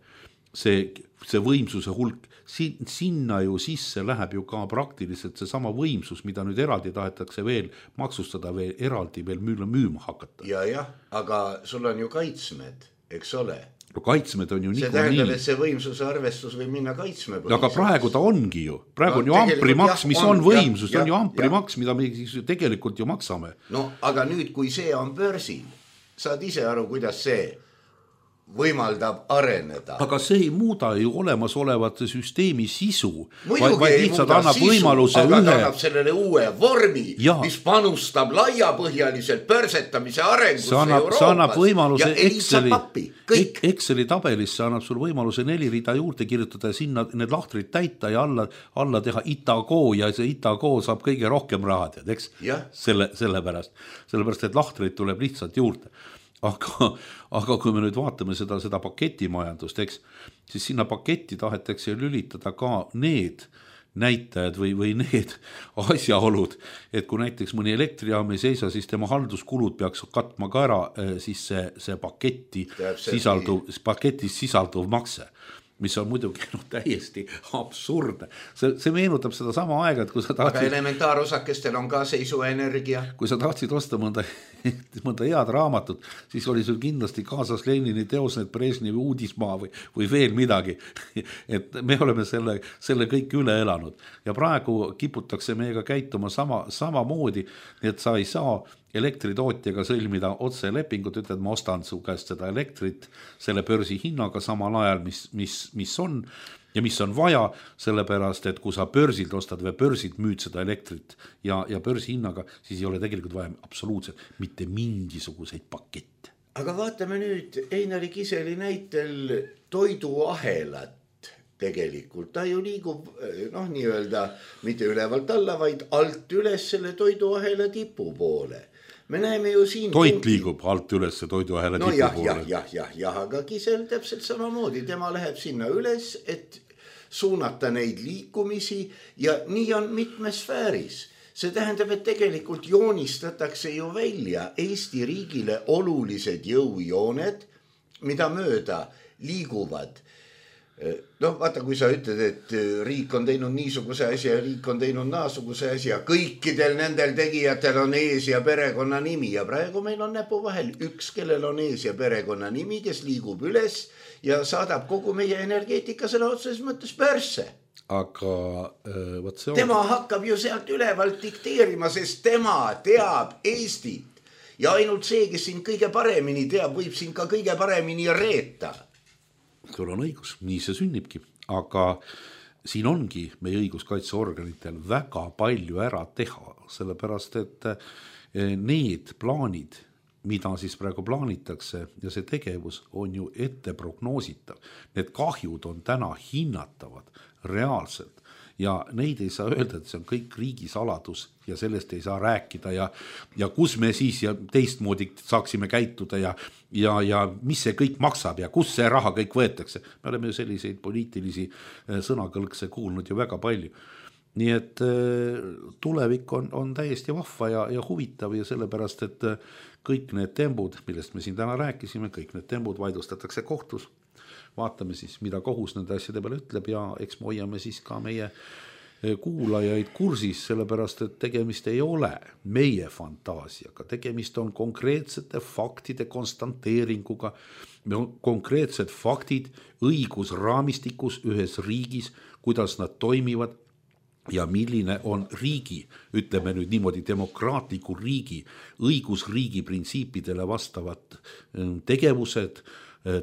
see võimsuse hulk, sinna ju sisse läheb ju ka praktiliselt see sama võimsus, mida nüüd eraldi tahetakse veel maksustada, veel eraldi veel müüma hakata. Ja, aga sul on ju kaitsmed, eks ole. No kaitsmed on ju see tähendab, et see võimsuse arvestus võib minna kaitsmepõhiselt. Aga praegu ta ongi ju. Praegu on ju amprimaks, mis on võimsus, on ju amprimaks, mida me tegelikult ju maksame. No aga nüüd, kui see on börsil, saad ise aru, kuidas see võimaldab areneda. Aga see ei muuda ju olemasolevate süsteemi sisu. Muidugi ei muuda sisu, aga ta annab sellele uue vormi, mis panustab laiapõhjaliselt börsetamise arengusse Euroopas. See annab võimaluse Exceli tabelisse annab sul võimaluse 4 rida juurde kirjutada ja sinna need lahtrid täita ja alla teha Itago ja see Itago saab kõige rohkem raha, tead, eks? Sellepärast, et lahtrid tuleb lihtsalt juurde. Aga kui me nüüd vaatame seda paketimajandust, eks, siis sinna paketti tahetakse lülitada ka need näitajad või need asjaolud, et kui näiteks mõni elektrijaam ei seisa, siis tema halduskulud peaks katma ka ära siis see paketis sisalduv makse, mis on muidugi täiesti absurdne. See meenutab seda sama aega, et kui sa tahtsid... Aga elementaarosakestel on ka seisuenergia. Kui sa tahtsid osta mõnda head raamatut, siis oli sul kindlasti kaasas Lenini teos, need Brežnevi uudismaa või veel midagi. Et me oleme selle kõik üle elanud. Ja praegu kiputakse meiega käituma sama moodi, et sa ei saa elektritootjaga sõlmida otse lepingut, ütled, ma ostan su käest seda elektrit selle börsi hinnaga samal ajal, mis on ja mis on vaja, sellepärast, et kui sa börsilt ostad või börsilt müüd seda elektrit ja börsi hinnaga, siis ei ole tegelikult vaja absoluutselt mitte mingisuguseid pakette. Aga vaatame nüüd Einari Kiseli näitel toiduahelat. Tegelikult ta ju liigub nii-öelda mitte ülevalt alla, vaid alt üles selle toiduahela tipu poole. Me näeme ju siin... Toit liigub alt üles toiduahela tipu poole. Jah, aga Kisel täpselt samamoodi. Tema läheb sinna üles, et suunata neid liikumisi ja nii on mitmes sfääris. See tähendab, et tegelikult joonistatakse ju välja Eesti riigile olulised jõujooned, mida mööda liiguvad noh, vaata, kui sa ütled, et riik on teinud niisuguse asja ja riik on teinud naasuguse asja, kõikidel nendel tegijatel on ees ja perekonna nimi ja praegu meil on näpu vahel üks, kellel on ees ja perekonna nimi, kes liigub üles ja saadab kogu meie energeetika sõna otseses mõttes pörsse. Aga võt see on... Tema hakkab ju sealt ülevalt dikteerima, sest tema teab Eestit ja ainult see, kes siin kõige paremini teab, võib siin ka kõige paremini reeta. Sul on õigus, nii see sünnibki, aga siin ongi meie õiguskaitseorganitel väga palju ära teha, sellepärast et need plaanid, mida siis praegu plaanitakse ja see tegevus on ju ette prognoositav. Need kahjud on täna hinnatavad reaalselt ja neid ei saa öelda, et see on kõik riigisaladus ja sellest ei saa rääkida ja kus me siis ja teistmoodi saaksime käituda ja mis see kõik maksab ja kus see raha kõik võetakse. Me oleme ju selliseid poliitilisi sõnakõlkse kuulnud ju väga palju. Nii et tulevik on täiesti vahva ja huvitav ja sellepärast, et kõik need tembud, millest me siin täna rääkisime, kõik need tembud vaidlustatakse kohtus. Vaatame siis, mida kohus nende asjade peale ütleb ja eks me hoiame siis ka meie kuulajaid kursis, sellepärast, et tegemist ei ole meie fantaasiaga, tegemist on konkreetsete faktide konstanteeringuga, konkreetsed faktid õigusraamistikus ühes riigis, kuidas nad toimivad ja milline on riigi, ütleme nüüd niimoodi demokraatliku riigi, õigusriigi printsiipidele vastavad tegevused,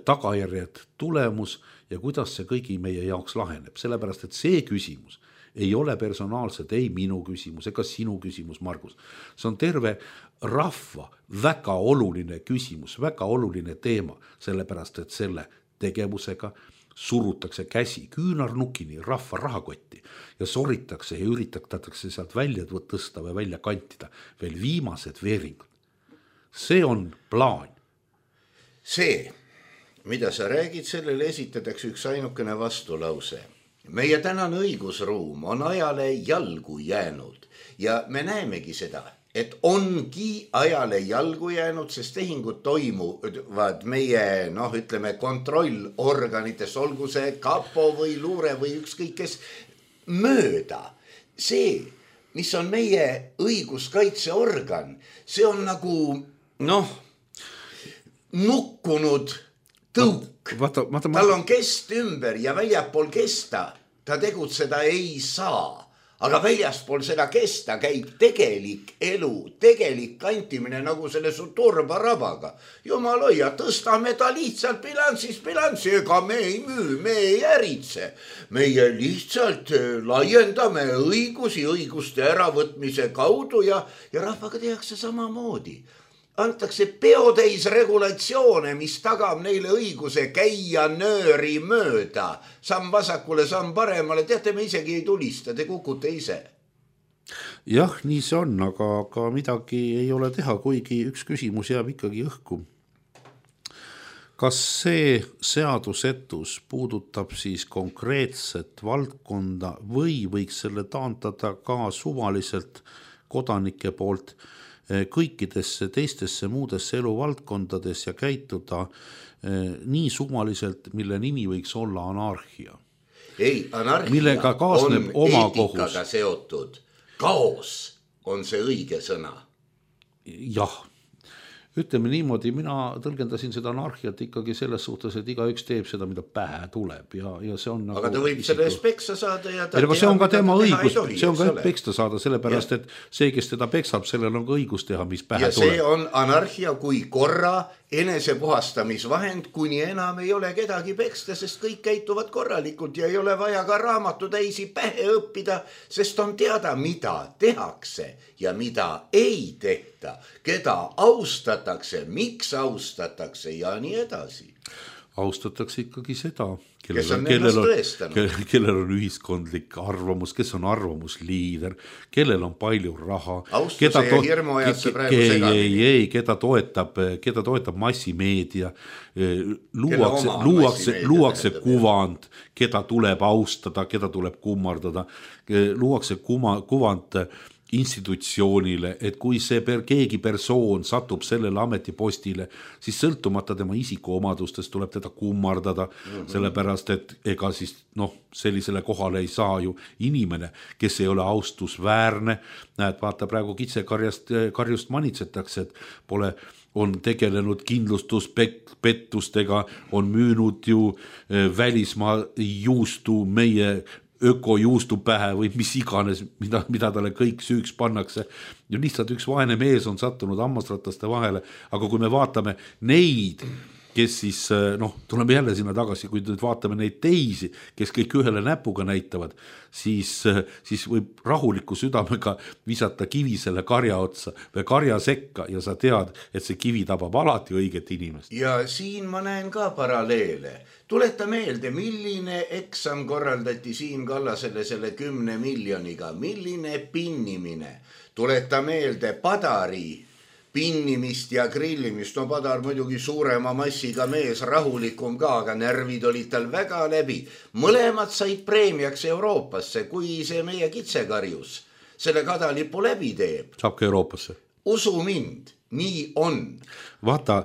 tagajärjed, tulemus ja kuidas see kõigi meie jaoks laheneb. Sellepärast, et see küsimus ei ole personaalselt ei minu küsimus ega sinu küsimus, Margus. See on terve rahva väga oluline küsimus, väga oluline teema, sellepärast, et selle tegevusega surutakse käsi küünarnukini rahva rahakotti ja soritakse ja üritatakse sealt välja tõsta või välja kantida veel viimased veeringud. See on plaan. See, mida sa räägid, sellele esitatakse üks ainukene vastulause. Meie tänane õigusruum on ajale jalgu jäänud ja me näemegi seda, et ongi ajale jalgu jäänud, sest tehingud toimuvad meie, ütleme, kontrollorganites, olgu see kapo või luure või ükskõik kes mööda. See, mis on meie õiguskaitseorgan, see on nagu, nukkunud tõuk. Tal on kest ümber ja väljapool kesta ta tegutseda ei saa. Aga väljaspool seda kesta käib tegelik elu, tegelik kantimine nagu selle su turbarabaga. Jumal hoia, tõstame ta lihtsalt bilanssi, ega me ei müü, me ei äritse. Meie lihtsalt laiendame õiguste äravõtmise kaudu ja rahvaga tehakse samamoodi. Antakse peotäis regulatsioone, mis tagab neile õiguse käia nööri mööda. Samm vasakule, samm paremale, teate, me isegi ei tulista, te kukute ise. Jah, nii see on, aga midagi ei ole teha, kuigi üks küsimus jääb ikkagi õhku. Kas see seadusetus puudutab siis konkreetset valdkonda või võiks selle taantada ka suvaliselt kodanike poolt kõikidesse teistesse muudesse eluvaldkondades ja käituda nii suvaliselt, mille nimi võiks olla anarhia. Ei, anarhia millega kaasneb on eetikaga kohus. Seotud. Kaos on see õige sõna. Jah. Ütleme niimoodi, mina tõlgendasin seda anarhiat ikkagi selles suhtes, et igaüks teeb seda, mida pähe tuleb ja see on nagu... Aga ta võib selles peksa saada ja ta see on ka tema õigus, see on ka peksta saada, sellepärast, et see, kes teda peksab, sellel on ka õigus teha, mis pähe tuleb. Ja see on anarhia kui korra enesepuhastamisvahend, kuni enam ei ole kedagi peksta, sest kõik käituvad korralikult ja ei ole vaja ka raamatutäisi pähe õppida, sest on teada, mida tehakse ja mida ei tehta, keda austatakse, miks austatakse ja nii edasi. Austatakse ikkagi seda, kellel on ühiskondlik arvamus, kes on arvamusliider, kellel on palju raha. Austuse ja hirmu ajad see praegu segamini. Keda toetab massimeedia, luuakse kuvand, keda tuleb austada, keda tuleb kummardada, luuakse kuvand institutsioonile, et kui see keegi persoon satub sellele ametipostile, siis sõltumata tema isikuomadustest tuleb teda kummardada, sellepärast et ega siis sellisele kohale ei saa ju inimene, kes ei ole austusväärne. Näed, vaata praegu kitsekarjust manitsetakse, et on tegelenud kindlustuspettustega, on müünud ju välismaa juustu meie ökojuustu pähe või mis iganes, mida talle kõik süüks pannakse. Ja lihtsalt üks vaene mees on sattunud hammasrataste vahele, aga kui me vaatame neid, kes siis, tuleme jälle sinna tagasi, kui nüüd vaatame neid teisi, kes kõik ühele näpuga näitavad, siis võib rahuliku südamega visata kivi selle karja otsa või karja sekka ja sa tead, et see kivi tabab alati õiget inimest. Ja siin ma näen ka paralleele. Tuleta meelde, milline eksam korraldati Siim Kallasele selle 10 miljoniga, milline pinnimine. Tuleta meelde Padari pinnimist ja grillimist. Padar muidugi suurema massiga mees, rahulikum ka, aga närvid olid tal väga läbi. Mõlemad said preemiaks Euroopasse, kui see meie kitsekarjus selle kadalipu läbi teeb. Saab ka Euroopasse. Usu mind, nii on. Vaata,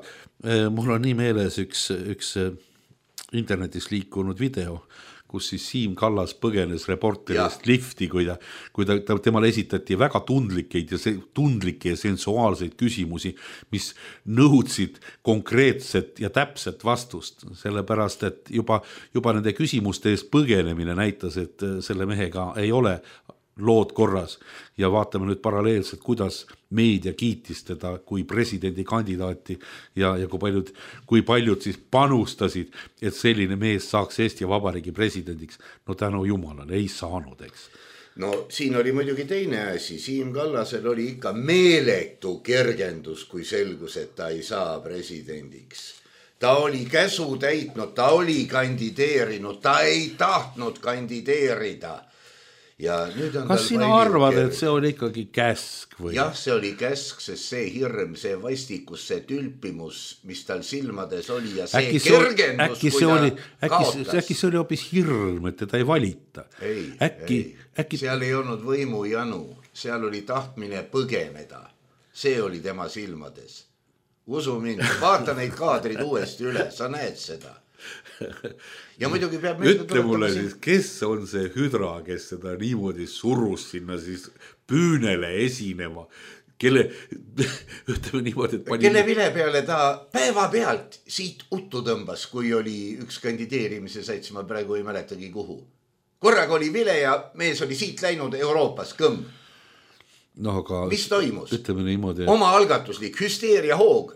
mul on nii meeles üks internetis liikunud video, kus siis Siim Kallas põgenes reporterist lifti, kui temale esitati väga tundlikke ja sensuaalseid küsimusi, mis nõudsid konkreetset ja täpset vastust, sellepärast et juba nende küsimuste eest põgenemine näitas, et selle mehega ei ole lood korras ja vaatame nüüd paralleelselt, kuidas meedia kiitis teda kui presidendikandidaati ja kui paljud siis panustasid, et selline mees saaks Eesti Vabariigi presidendiks. No tänu jumalale ei saanud, eks. No siin oli muidugi teine asi. Siim Kallasel oli ikka meeletu kergendus, kui selgus, et ta ei saa presidendiks. Ta oli käsu täitnud, ta oli kandideerinud, ta ei tahtnud kandideerida. Kas sina arvad, et see oli ikkagi käsk või? Jah, see oli käsk, sest see hirm, see vastikus, see tülpimus, mis tal silmades oli ja see kergendus, kui ta kaotas. Äkki see oli hoopis hirm, et teda ei valita? Ei. Seal ei olnud võimu janu, seal oli tahtmine põgeneda. See oli tema silmades. Usu mind, vaata neid kaadrid uuesti üle, sa näed seda. Ja muidugi peab ütle mulle siis, kes on see hüdra, kes seda niimoodi surus sinna siis püünele esinema, kelle vile peale ta päeva pealt siit uttu tõmbas, kui oli üks kandideerimise sats, ma praegu ei mäletagi kuhu. Korraga oli vile ja mees oli siit läinud Euroopas kõmm. Mis toimus? Oma algatuslik hüsteeria hoog.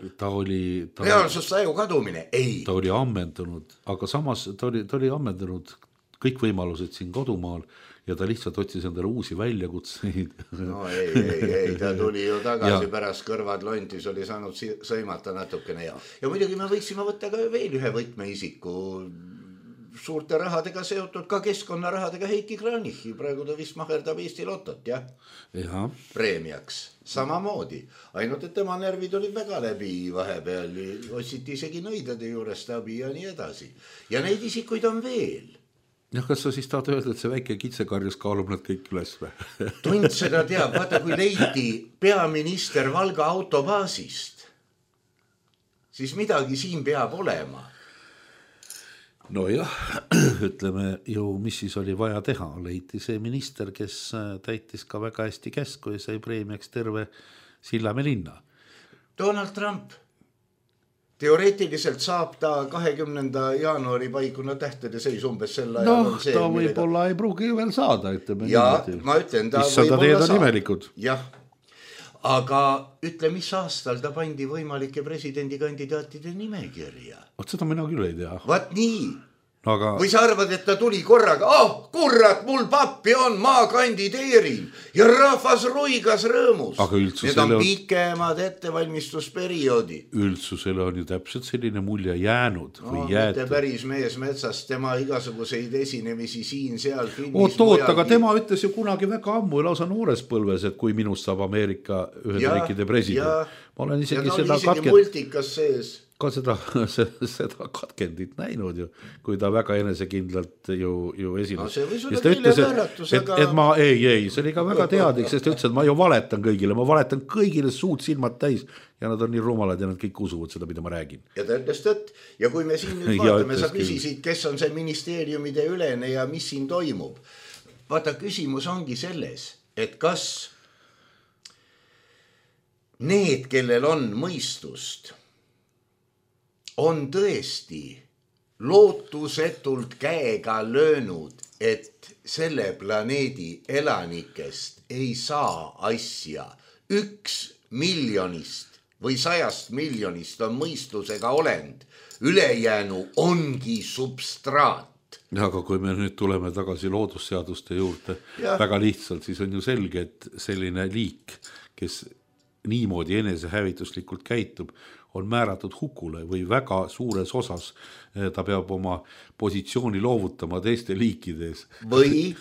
Reaalsustaju kadumine? Ei. Ta oli ammendunud, aga samas ta oli ammendunud kõik võimalused siin kodumaal ja ta lihtsalt otsis endale uusi väljakutseid. No ei, ta tuli ju tagasi pärast kõrvad lontis, oli saanud sõimata natukene. Ja muidugi me võiksime võtta ka veel ühe võtmeisiku suurte rahadega seotud, ka keskkonnarahadega Heiki Kranichi. Praegu ta vist maherdab Eesti Lotot, jah? Preemiaks. Samamoodi. Ainult, et tema närvid olid väga läbi vahepeal. Otsiti isegi nõidade juurest abi ja nii edasi. Ja neid isikuid on veel. Ja kas sa siis tahad öelda, et see väike kitsekarjus kaalub nad kõik üles või? Tund seda teab. Vaata, kui leiti peaminister Valga autobaasist, siis midagi siin peab olema. No jah, ütleme ju, mis siis oli vaja teha. Leiti see minister, kes täitis ka väga hästi käsku ja sai preemiaks terve Sillamäe linna. Donald Trump. Teoreetiliselt saab ta 20. jaanuari paikuna tähtede seis umbes sel ajal. Ta võib-olla ei pruugi veel saada. Ja ma ütlen, ta võib-olla saab. Jah, aga ütle, mis aastal ta pandi võimalike presidendikandidaatide nimekirja. Seda mina küll ei tea. Vaat nii. Või sa arvad, et ta tuli korraga, kurat, mul pappi on, ma kandideerin ja rahvas ruigas rõõmus. Need on pikemad ettevalmistusperioodi. Üldsusele on ju täpselt selline mulje jäänud või jäetud. Mitte päris mees metsast, tema igasuguseid esinemisi siin, seal filmis. Aga tema ütles ju kunagi väga ammu, lausa noores põlves, et kui minust saab Ameerika Ühendriikide president. Ma olen isegi seda multikas sees. ka seda katkendit näinud ju, kui ta väga enesekindlalt ju esines. No see või sulle keele määratus, aga... Et ma, ei, see oli ka väga teadlik, sest ta ütles, et ma ju valetan kõigile, ma valetan kõigile suud silmad täis ja nad on nii rumalad ja nad kõik usuvad seda, mida ma räägin. Ja ta ütles tõtt. Ja kui me siin nüüd vaatame, sa küsisid, kes on see ministeeriumide ülene ja mis siin toimub. Vaata, küsimus ongi selles, et kas need, kellel on mõistust, on tõesti lootusetult käega löönud, et selle planeedi elanikest ei saa asja 1 miljonist või 100 miljonist on mõistusega olend, ülejäänu ongi substraat. Aga kui me nüüd tuleme tagasi loodusseaduste juurde väga lihtsalt, siis on ju selge, et selline liik, kes niimoodi enesehävituslikult käitub, on määratud hukule või väga suures osas ta peab oma positsiooni loovutama teiste liikides. Või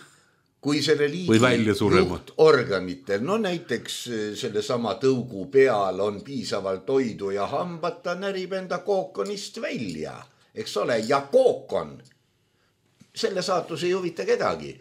kui selle liigi juhtorganitel, no näiteks selle sama tõugu peal on piisavalt toidu ja hambad, ta närib enda kookonist välja, eks ole, ja kookon, selle saatus ei huvita kedagi.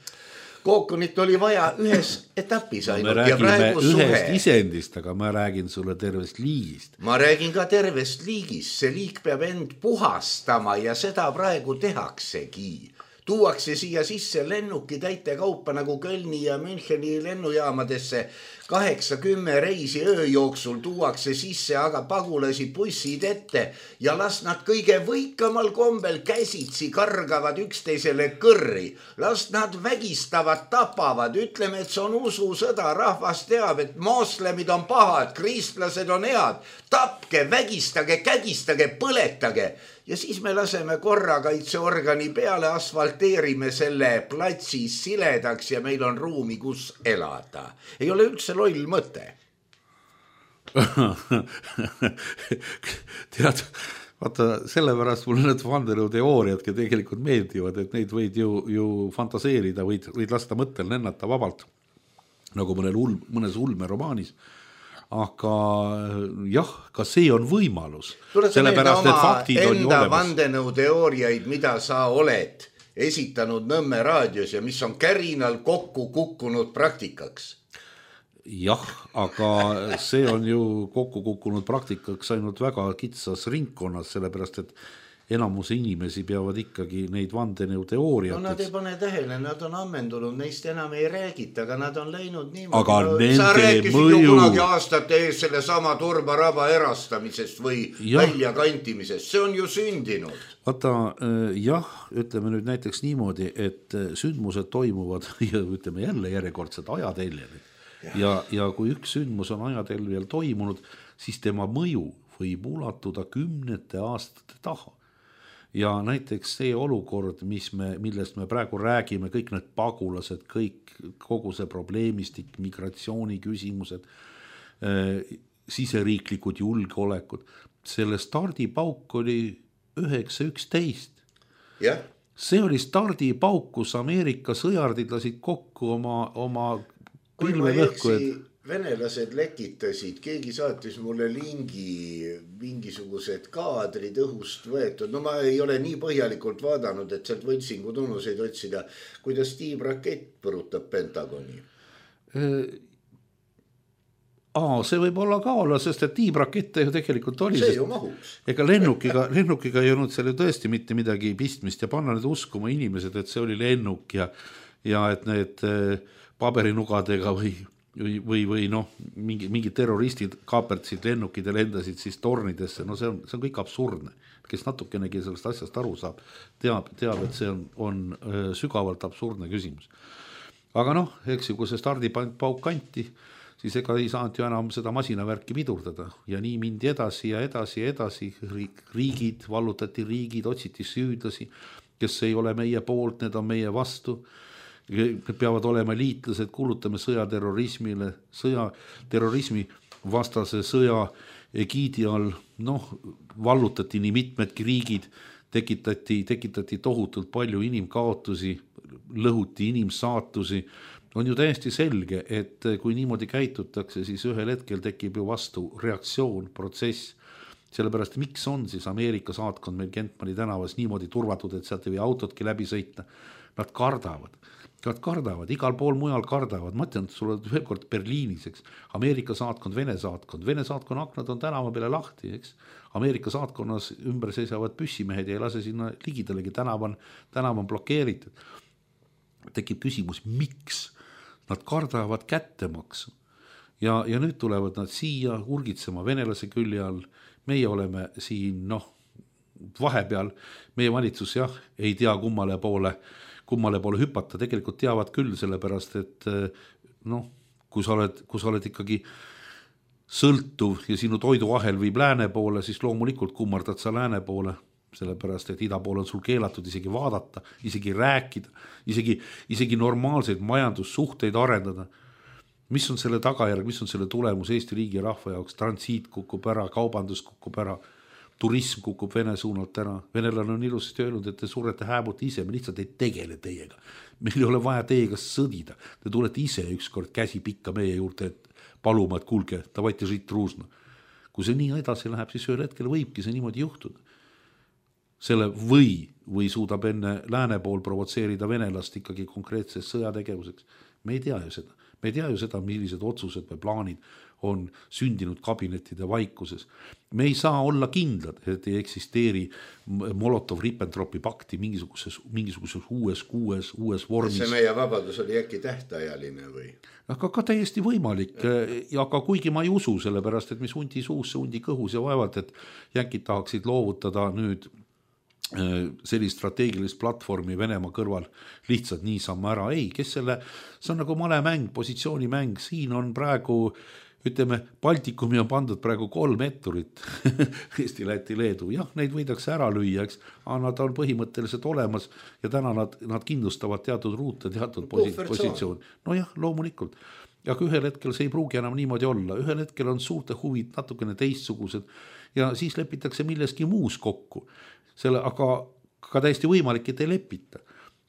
Kookonit oli vaja ühes etapis ainult. Me räägime ühest isendist, aga ma räägin sulle tervest liigist. Ma räägin ka tervest liigist, see liik peab end puhastama ja seda praegu tehaksegi. Tuuakse siia sisse lennuki täite kaupa nagu Kölni ja Müncheni lennujaamadesse 8-10 reisi öö jooksul tuuakse sisse, aga pagulasi bussid ette ja las nad kõige võikamal kombel käsitsi kargavad üksteisele kõrri. Las nad vägistavad, tapavad, ütleme, et see on ususõda, rahvas teab, et moslemid on pahad, kristlased on head, tapke, vägistage, kägistage, põletage. Ja siis me laseme korrakaitseorgani peale, asfalteerime selle platsi siledaks ja meil on ruumi, kus elada. Ei ole üldse loll mõte. Tead, vaata, sellepärast mulle need vandenõuteooriadki tegelikult meeldivad, et neid võid ju fantaseerida, võid lasta mõttel lennata vabalt, nagu mõnes ulmeromaanis. Aga jah, ka see on võimalus. Sellepärast, et faktid on ju olemas. Vandenõuteooriaid, mida sa oled esitanud Nõmme raadios ja mis on kärinal kokku kukkunud praktikaks. Jah, aga see on ju kokku kukkunud praktikaks ainult väga kitsas ringkonnas, sellepärast, et enamus inimesi peavad ikkagi neid vandenõuteooriateks. No nad ei pane tähele, nad on ammendunud, neist enam ei räägita, aga nad on läinud niimoodi. Aga nende sa rääkisid mõju... ju kunagi aastate ees selle sama Turbaraba erastamisest või väljakantimisest, see on ju sündinud. Vaata, jah, ütleme nüüd näiteks niimoodi, et sündmused toimuvad ja ütleme jälle järjekordselt ajateljel. Ja kui üks sündmus on ajateljel toimunud, siis tema mõju võib ulatuda 10 aastate taha. Ja näiteks see olukord, millest me praegu räägime, kõik need pagulased, kogu see probleemistik, migratsiooni küsimused, siseriiklikud julgeolekud, selle stardipauk oli 9.11. Yeah. See oli stardipauk, kus Ameerika sõjardid lasid kokku oma pilvevõhku. Venelased lekitasid, keegi saatis mulle lingi, mingisugused kaadrid õhust võetud. No ma ei ole nii põhjalikult vaadanud, et sealt võltsingu tunnuseid otsida, kuidas tiibrakett põrutab Pentagoni. See võib olla ka olla, sest et tiibrakette ju tegelikult oli. See ju mahuks. Ega lennukiga ei olnud seal ju tõesti mitte midagi pistmist ja panna need uskuma inimesed, et see oli lennuk ja et need paberinugadega või noh, mingi terroristid kaapertsid lennukid ja lendasid siis tornidesse, no see on kõik absurdne. Kes natukenegi sellest asjast aru saab, teab, et see on sügavalt absurdne küsimus. Aga noh, eks ju, kui see stardipauk kanti, siis ega ei saanud ju enam seda masinavärki pidurdada ja nii mindi edasi ja edasi. Riigid, vallutati riigid, otsiti süüdlasi, kes ei ole meie poolt, need on meie vastu. Peavad olema liitlased, kuulutame sõjaterrorismile, terrorismi vastase sõja egiidi all, vallutati nii mitmedki riigid, tekitati tohutult palju inimkaotusi, lõhuti inimsaatusi. On ju täiesti selge, et kui niimoodi käitutakse, siis ühel hetkel tekib ju vastu reaktsioon, protsess sellepärast miks on siis Ameerika saatkond meil Kentmani tänavas niimoodi turvatud, et sealt ei või autotki läbi sõita? Nad kardavad, igal pool mujal kardavad. Ma ütlen, et sulle veel kord Berliinis, eks. Ameerika saatkond, Vene saatkonna aknad on tänava peale lahti, eks. Ameerika saatkonnas ümber seisavad püssimehed ja ei lase sinna ligidalegi, tänav on blokeeritud. Tekib küsimus, miks? Nad kardavad kättemaksu. Ja nüüd tulevad nad siia urgitsema venelase külje all. Meie oleme siin, vahepeal, meie valitsus ei tea kummale poole hüpata, tegelikult teavad küll, sellepärast, et kui sa oled ikkagi sõltuv ja sinu toiduahel viib lääne poole, siis loomulikult kummardad sa lääne poole, sellepärast, et ida poole on sul keelatud isegi vaadata, isegi rääkida, isegi normaalseid majandussuhteid arendada. Mis on selle tagajärg, mis on selle tulemus Eesti riigi ja rahva jaoks? Transiit kukub ära, kaubandus kukub ära, turism kukub Vene suunalt ära. Venelane on ilusasti öelnud, et te surete hääbute ise, me lihtsalt ei tegele teiega. Meil ei ole vaja teiega sõdida. Te tulete ise ükskord käsi pikka meie juurde, et paluma, et kuulge, davайте žit truusno. Kui see nii edasi läheb, siis ühel hetkel võibki see niimoodi juhtuda. Selle või suudab enne lääne pool provotseerida venelast ikkagi konkreetses sõjategevuseks. Me ei tea ju seda, millised otsused või plaanid on sündinud kabinettide vaikuses. Me ei saa olla kindlad, et ei eksisteeri Molotov-Ribbentropi pakti mingisuguses uues vormis. See meie vabadus oli äkki tähtajaline või? Aga ka täiesti võimalik, aga kuigi ma ei usu, sellepärast, et mis hundi suus, see hundi kõhus ja vaevalt, et jänkid tahaksid loovutada nüüd sellist strateegilist platvormi Venemaa kõrval lihtsalt niisama ära. Ei, see on nagu malemäng, positsioonimäng, siin on praegu, ütleme, Baltikumi on pandud praegu 3 etturit, Eesti, Läti, Leedu, neid võidakse ära lüüa, eks, aga nad on põhimõtteliselt olemas ja täna nad kindlustavad teatud ruute, teatud positsioon. Loomulikult. Aga ühel hetkel see ei pruugi enam niimoodi olla, ühel hetkel on suurte huvid natukene teistsugused ja siis lepitakse milleski muus kokku. Aga ka täiesti võimalik, et ei lepita.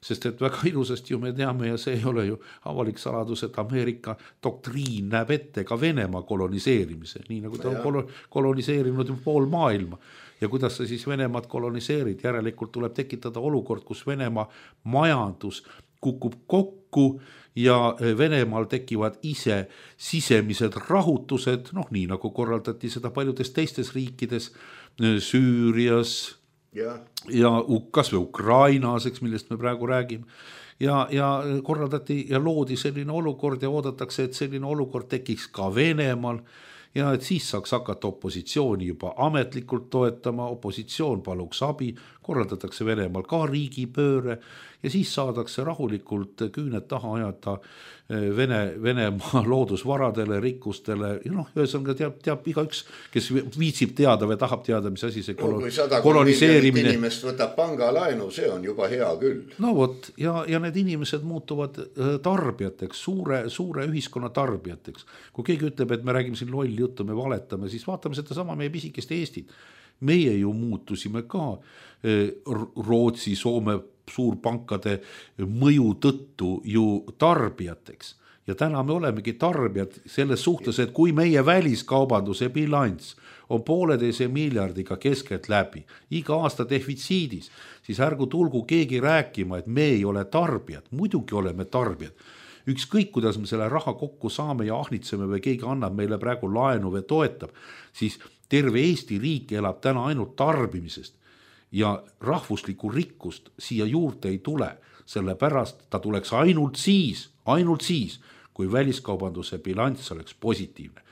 Sest et väga ilusasti ju me teame ja see ei ole ju avalik saladus, et Ameerika doktriin näeb ette ka Venemaa koloniseerimise, nii nagu ta on koloniseerinud ju pool maailma. Ja kuidas sa siis Venemaad koloniseerid? Järelikult tuleb tekitada olukord, kus Venemaa majandus kukub kokku ja Venemaal tekivad ise sisemised rahutused, nii nagu korraldati seda paljudes teistes riikides, Süürias, ja kas või Ukrainas, millest me praegu räägime, ja korraldati ja loodi selline olukord ja oodatakse, et selline olukord tekiks ka Venemaal ja et siis saaks hakata opositsiooni juba ametlikult toetama, opositsioon paluks abi, korraldatakse Venemaal ka riigipööre ja siis saadakse rahulikult küüned taha ajada Venemaa loodusvaradele, rikkustele ja ühesõnaga teab igaüks, kes viitsib teada või tahab teada, mis asi see koloniseerimine. Inimest võtab pangalaenu, see on juba hea küll. Ja need inimesed muutuvad tarbijateks, suure ühiskonna tarbijateks. Kui keegi ütleb, et me räägime siin lolli juttu, me valetame, siis vaatame seda sama meie pisikest Eestit. Meie ju muutusime ka Rootsi, Soome suurpankade mõju tõttu ju tarbijateks. Ja täna me olemegi tarbijad selles suhtes, et kui meie väliskaubanduse bilanss on 1,5 miljardiga keskelt läbi, iga aasta defitsiidis, siis ärgu tulgu keegi rääkima, et me ei ole tarbijad. Muidugi oleme tarbijad. Ükskõik, kuidas me selle raha kokku saame ja ahnitseme või keegi annab meile praegu laenu või toetab, siis terve Eesti riik elab täna ainult tarbimisest. Ja rahvuslikku rikkust siia juurde ei tule, sellepärast ta tuleks ainult siis, kui väliskaubanduse bilanss oleks positiivne.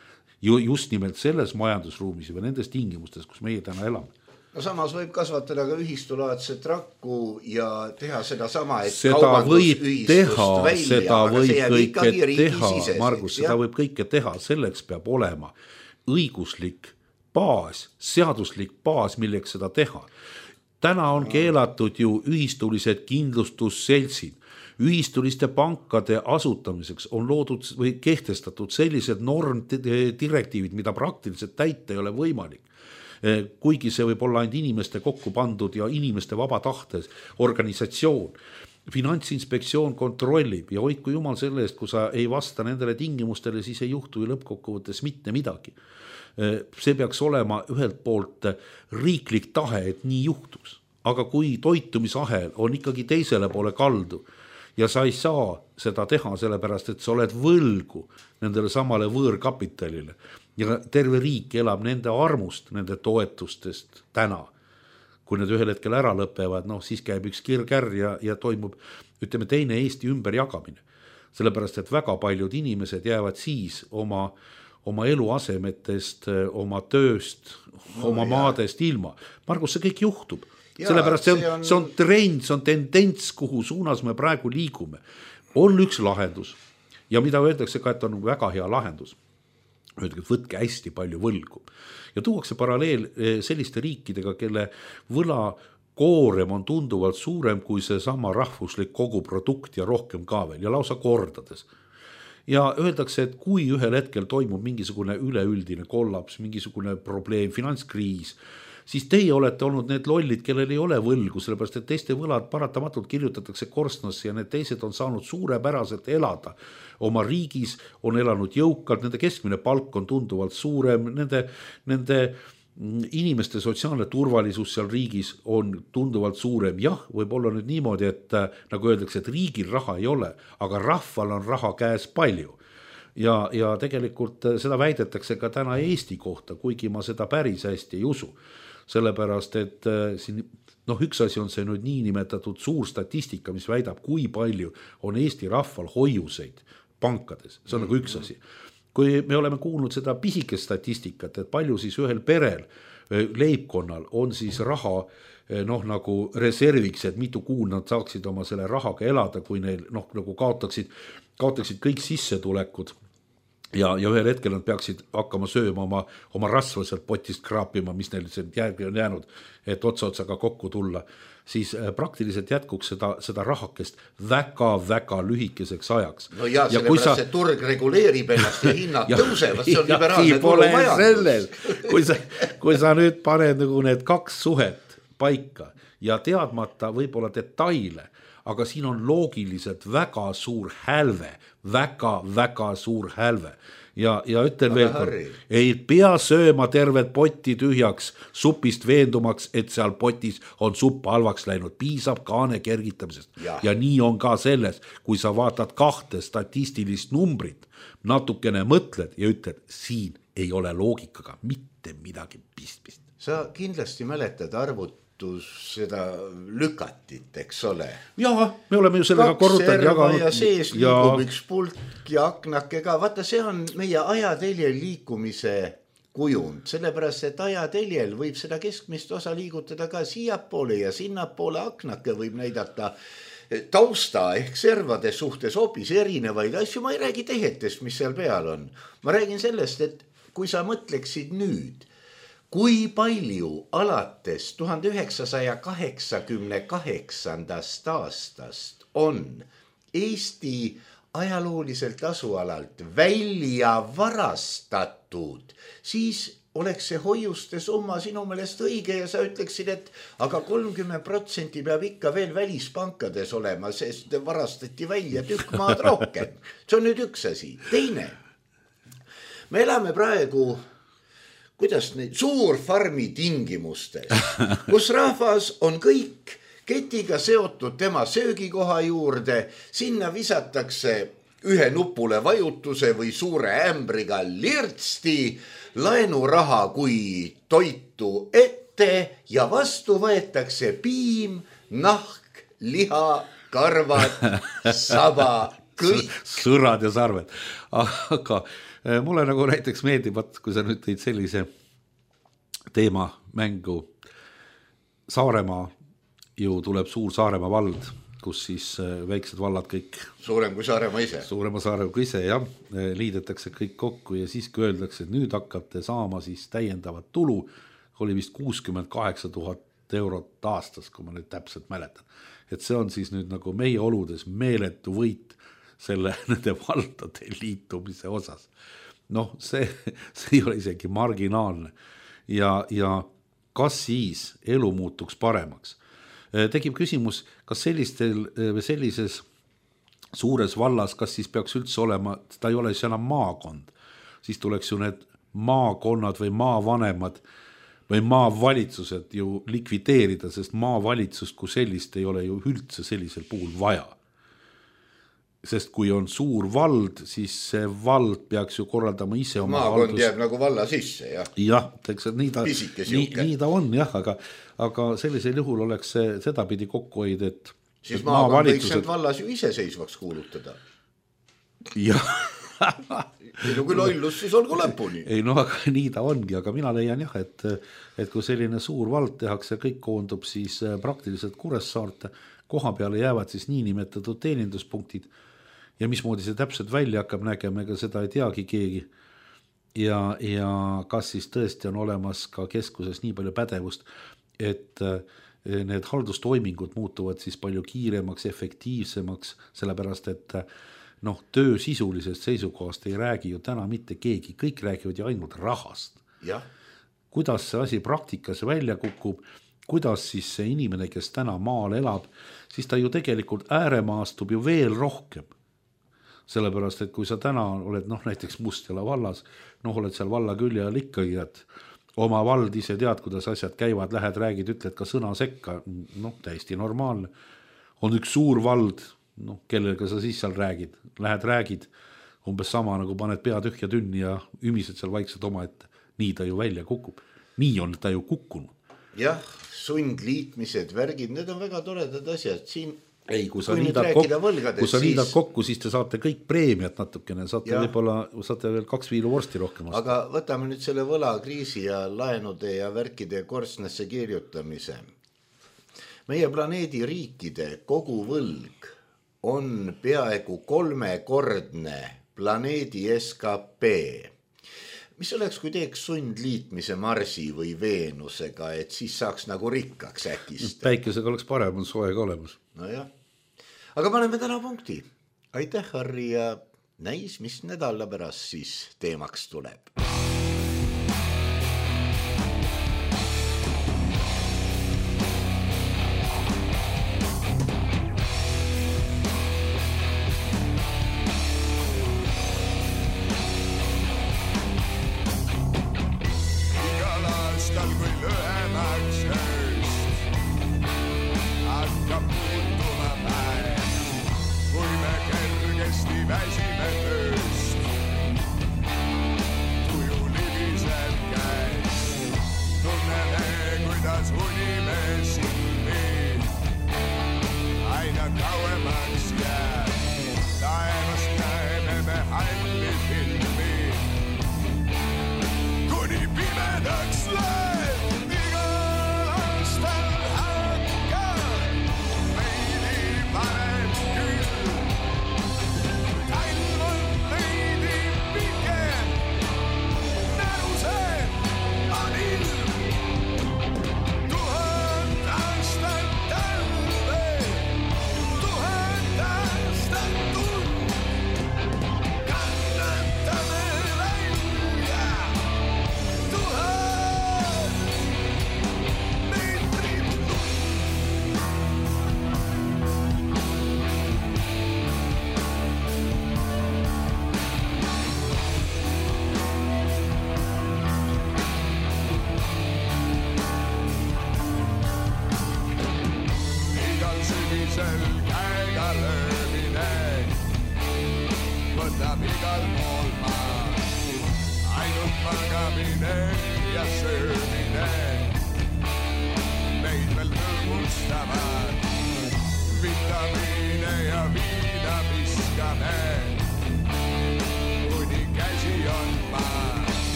Just nimelt selles majandusruumis või nendes tingimustes, kus meie täna elame. No samas võib kasvatada ka ühistulaadset rakku ja teha seda sama, et seda võib kõike teha, Margus, seda võib kõike teha, selleks peab olema õiguslik baas, seaduslik baas, milleks seda teha. Täna on keelatud ju ühistulised kindlustusseltsid. Ühistuliste pankade asutamiseks on loodud või kehtestatud sellised normdirektiivid, mida praktiliselt täita ei ole võimalik. Kuigi see võib olla ainult inimeste kokku pandud ja inimeste vaba tahtes organisatsioon. Finantsinspektsioon kontrollib ja hoidku jumal selle eest, kui sa ei vasta nendele tingimustele, siis ei juhtu ju lõppkokkuvõttes mitte midagi. see peaks olema ühelt poolt riiklik tahe, et nii juhtuks. Aga kui toitumisahel on ikkagi teisele poole kaldu ja sa ei saa seda teha sellepärast, et sa oled võlgu nendele samale võõrkapitalile ja terve riik elab nende armust, nende toetustest täna, kui need ühel hetkel ära lõpevad, siis käib üks kirkärr ja toimub, ütleme, teine Eesti ümberjagamine. Sellepärast, et väga paljud inimesed jäävad siis oma eluasemetest, oma tööst, oma maadest ilma. Margus, see kõik juhtub. Sellepärast see on trend, see on tendents, kuhu suunas me praegu liigume. On üks lahendus ja mida öeldakse ka, et on väga hea lahendus. Öeldakse, et võtke hästi palju võlgu. Ja tuuakse paralleel selliste riikidega, kelle võla koorem on tunduvalt suurem kui see sama rahvuslik koguprodukt ja rohkem ka veel ja lausa kordades. Ja öeldakse, et kui ühel hetkel toimub mingisugune üleüldine kollaps, mingisugune probleem, finantskriis, siis teie olete olnud need lollid, kellel ei ole võlgu, sellepärast et teiste võlad paratamatult kirjutatakse korstnasse ja need teised on saanud suurepäraselt elada. Oma riigis on elanud jõukalt, nende keskmine palk on tunduvalt suurem, nende inimeste sotsiaalne turvalisus seal riigis on tunduvalt suurem. Jah, võib olla nüüd niimoodi, et nagu öeldakse, et riigil raha ei ole, aga rahval on raha käes palju. Ja tegelikult seda väidetakse ka täna Eesti kohta, kuigi ma seda päris hästi ei usu. Sellepärast, et siin, üks asi on see nüüd niinimetatud suur statistika, mis väidab, kui palju on Eesti rahval hoiuseid pankades. See on nagu üks asi. Kui me oleme kuulnud seda pisikest statistikat, et palju siis ühel perel, leibkonnal on siis raha nagu reserviks, et mitu kuud nad saaksid oma selle rahaga elada, kui neil nagu kaotaksid kõik sissetulekud ja ühel hetkel nad peaksid hakkama sööma oma rasva sealt potist kraapima, mis neil järgi on jäänud, et otsaga kokku tulla, siis praktiliselt jätkuks seda rahakest väga-väga lühikeseks ajaks. No ja sellepärast see turg reguleerib ennast ja hinnad tõusevad, see on liberaalne turumajandus. Kui sa nüüd paned nagu need kaks suhet paika ja teadmata võib-olla detaile, aga siin on loogiliselt väga suur hälve, väga-väga suur hälve. Ja ütlen veel kord, ei pea sööma tervet potti tühjaks supist veendumaks, et seal potis on supp halvaks läinud, piisab kaane kergitamisest. Ja nii on ka selles, kui sa vaatad kahte statistilist numbrit, natukene mõtled ja ütled, siin ei ole loogikaga mitte midagi pistmist. Sa kindlasti mäletad seda lükatit, eks ole. Jaa, me oleme ju sellega korrutanud jaganud. Ja sees liigub üks pulk ja aknake ka. Vaata, see on meie ajateljel liikumise kujund, sellepärast, et ajateljel võib seda keskmist osa liigutada ka siiapoole ja sinnapoole. Aknake võib näidata tausta ehk servade suhtes hoopis erinevaid asju. Ma ei räägi tehetest, mis seal peal on. Ma räägin sellest, et kui sa mõtleksid nüüd, kui palju alates 1988. aastast on Eesti ajalooliselt asualalt välja varastatud, siis oleks see hoiuste summa sinu meelest õige ja sa ütleksid, et aga 30% peab ikka veel välispankades olema, sest varastati välja tükk maad rohkem. See on nüüd üks asi. Teine, me elame praegu kuidas neid suurfarmi tingimustes, kus rahvas on kõik ketiga seotud tema söögikoha juurde, sinna visatakse ühe nupule vajutuse või suure ämbriga lirtsti, laenuraha kui toitu ette ja vastu võetakse piim, nahk, liha, karvad, saba, kõik. Sõrad ja sarved. Aga mulle nagu näiteks meeldib, kui sa nüüd tõid sellise teema mängu. Saaremaa ju tuleb suur Saaremaa vald, kus siis väiksed vallad kõik. Suurem kui Saaremaa ise. Suurema Saaremaa kui ise, jah. Liidetakse kõik kokku ja siis kui öeldakse, et nüüd hakkate saama siis täiendavat tulu, oli vist 68 000 eurot aastas, kui ma nüüd täpselt mäletan. Et see on siis nüüd nagu meie oludes meeletu võit nende valdade liitumise osas. See ei ole isegi marginaalne. Ja kas siis elu muutuks paremaks? Tekib küsimus, kas sellises suures vallas, kas siis peaks üldse olema, ta ei ole siis enam maakond, siis tuleks ju need maakonnad või maavanemad või maavalitsused ju likvideerida, sest maavalitsust kui sellist ei ole ju üldse sellisel puhul vaja. Sest kui on suur vald, siis see vald peaks ju korraldama ise oma maakond jääb nagu valla sisse, jah. Jah, nii ta on, jah, aga sellisel juhul oleks see sedapidi kokkuhoid, et siis maakond võiks end vallas ju iseseisvaks kuulutada. Jah. Ei no kui lollus, siis olgu lõpuni. Ei no, aga nii ta ongi, aga mina leian jah, et kui selline suur vald tehakse, kõik koondub siis praktiliselt Kuressaarte, koha peale jäävad siis niinimetatud teeninduspunktid ja mismoodi see täpselt välja hakkab nägema, ega seda ei teagi keegi. Ja kas siis tõesti on olemas ka keskuses nii palju pädevust, et need haldustoimingud muutuvad siis palju kiiremaks, efektiivsemaks, sellepärast et töö sisulisest seisukohast ei räägi ju täna mitte keegi, kõik räägivad ju ainult rahast. Ja. Kuidas see asi praktikas välja kukub, kuidas siis see inimene, kes täna maal elab, siis ta ju tegelikult ääremaastub ju veel rohkem. Sellepärast, et kui sa täna oled näiteks Mustjala vallas, oled seal valla külje all ikkagi, et oma vald ise tead, kuidas asjad käivad, lähed, räägid, ütled ka sõna sekka, täiesti normaalne. On üks suur vald, kellega sa siis seal räägid, lähed räägid, umbes sama nagu paned pea tühja tünni ja ümised seal vaikselt oma ette. Nii ta ju välja kukub. Nii on ta ju kukkunud. Jah, sundliitmised, värgid, need on väga toredad asjad. Siin ei, kui sa liidad kokku, siis te saate kõik preemiat natukene, saate veel 2 viilu vorsti rohkem. Aga võtame nüüd selle võlakriisi ja laenude ja värkide korstnasse kirjutamise. Meie planeedi riikide kogu võlg on peaaegu 3-kordne planeedi SKP. Mis oleks, kui teeks sundliitmise Marsi või Veenusega, et siis saaks nagu rikkaks äkist? Päikesega oleks parem, on soe ka olemas. No jah. Aga paneme täna punkti. Aitäh, Harri, ja näis, mis nädala pärast siis teemaks tuleb.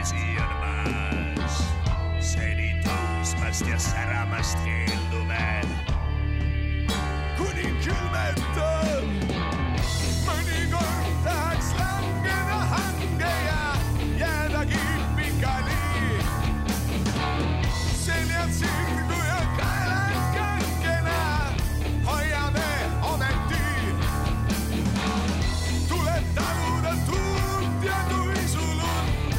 vesi on maas, seni tõusmast ja säramast keeldume. Kuni külmetab, mõnikord tahaks langeda hange ja jäädagi pikali. Seljad sirgu ja kaelad kankena, hoiame ometi. Tuleb taluda tuult ja tuisulund,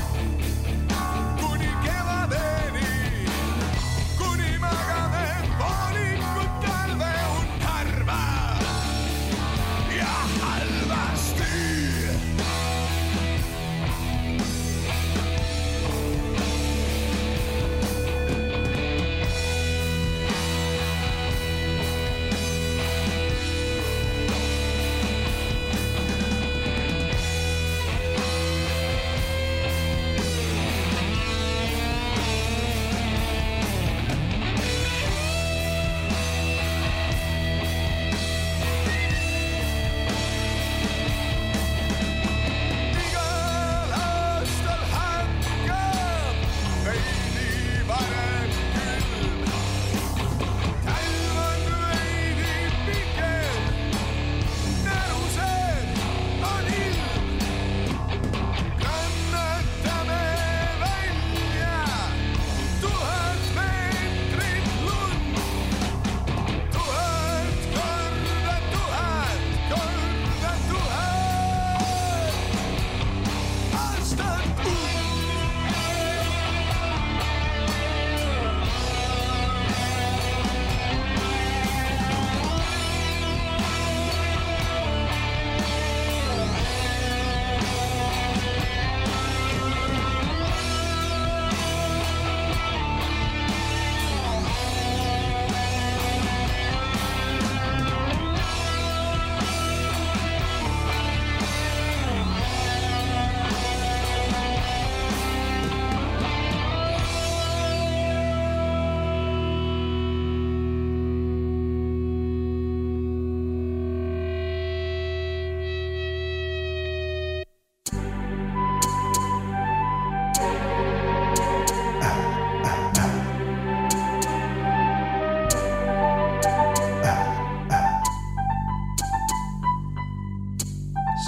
kuni kevadeni, kuni magame poolikud talve und harva ja halvasti. Igal aastal hakkab veidi varem külm. Talv on veidi pikem, närused on ilm. Kannatame välja 1000 meetrit lund. 1000 korda 1000 korda 1000 aastat und.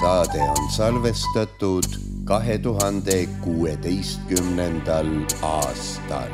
Saade on salvestatud 2016. aastal.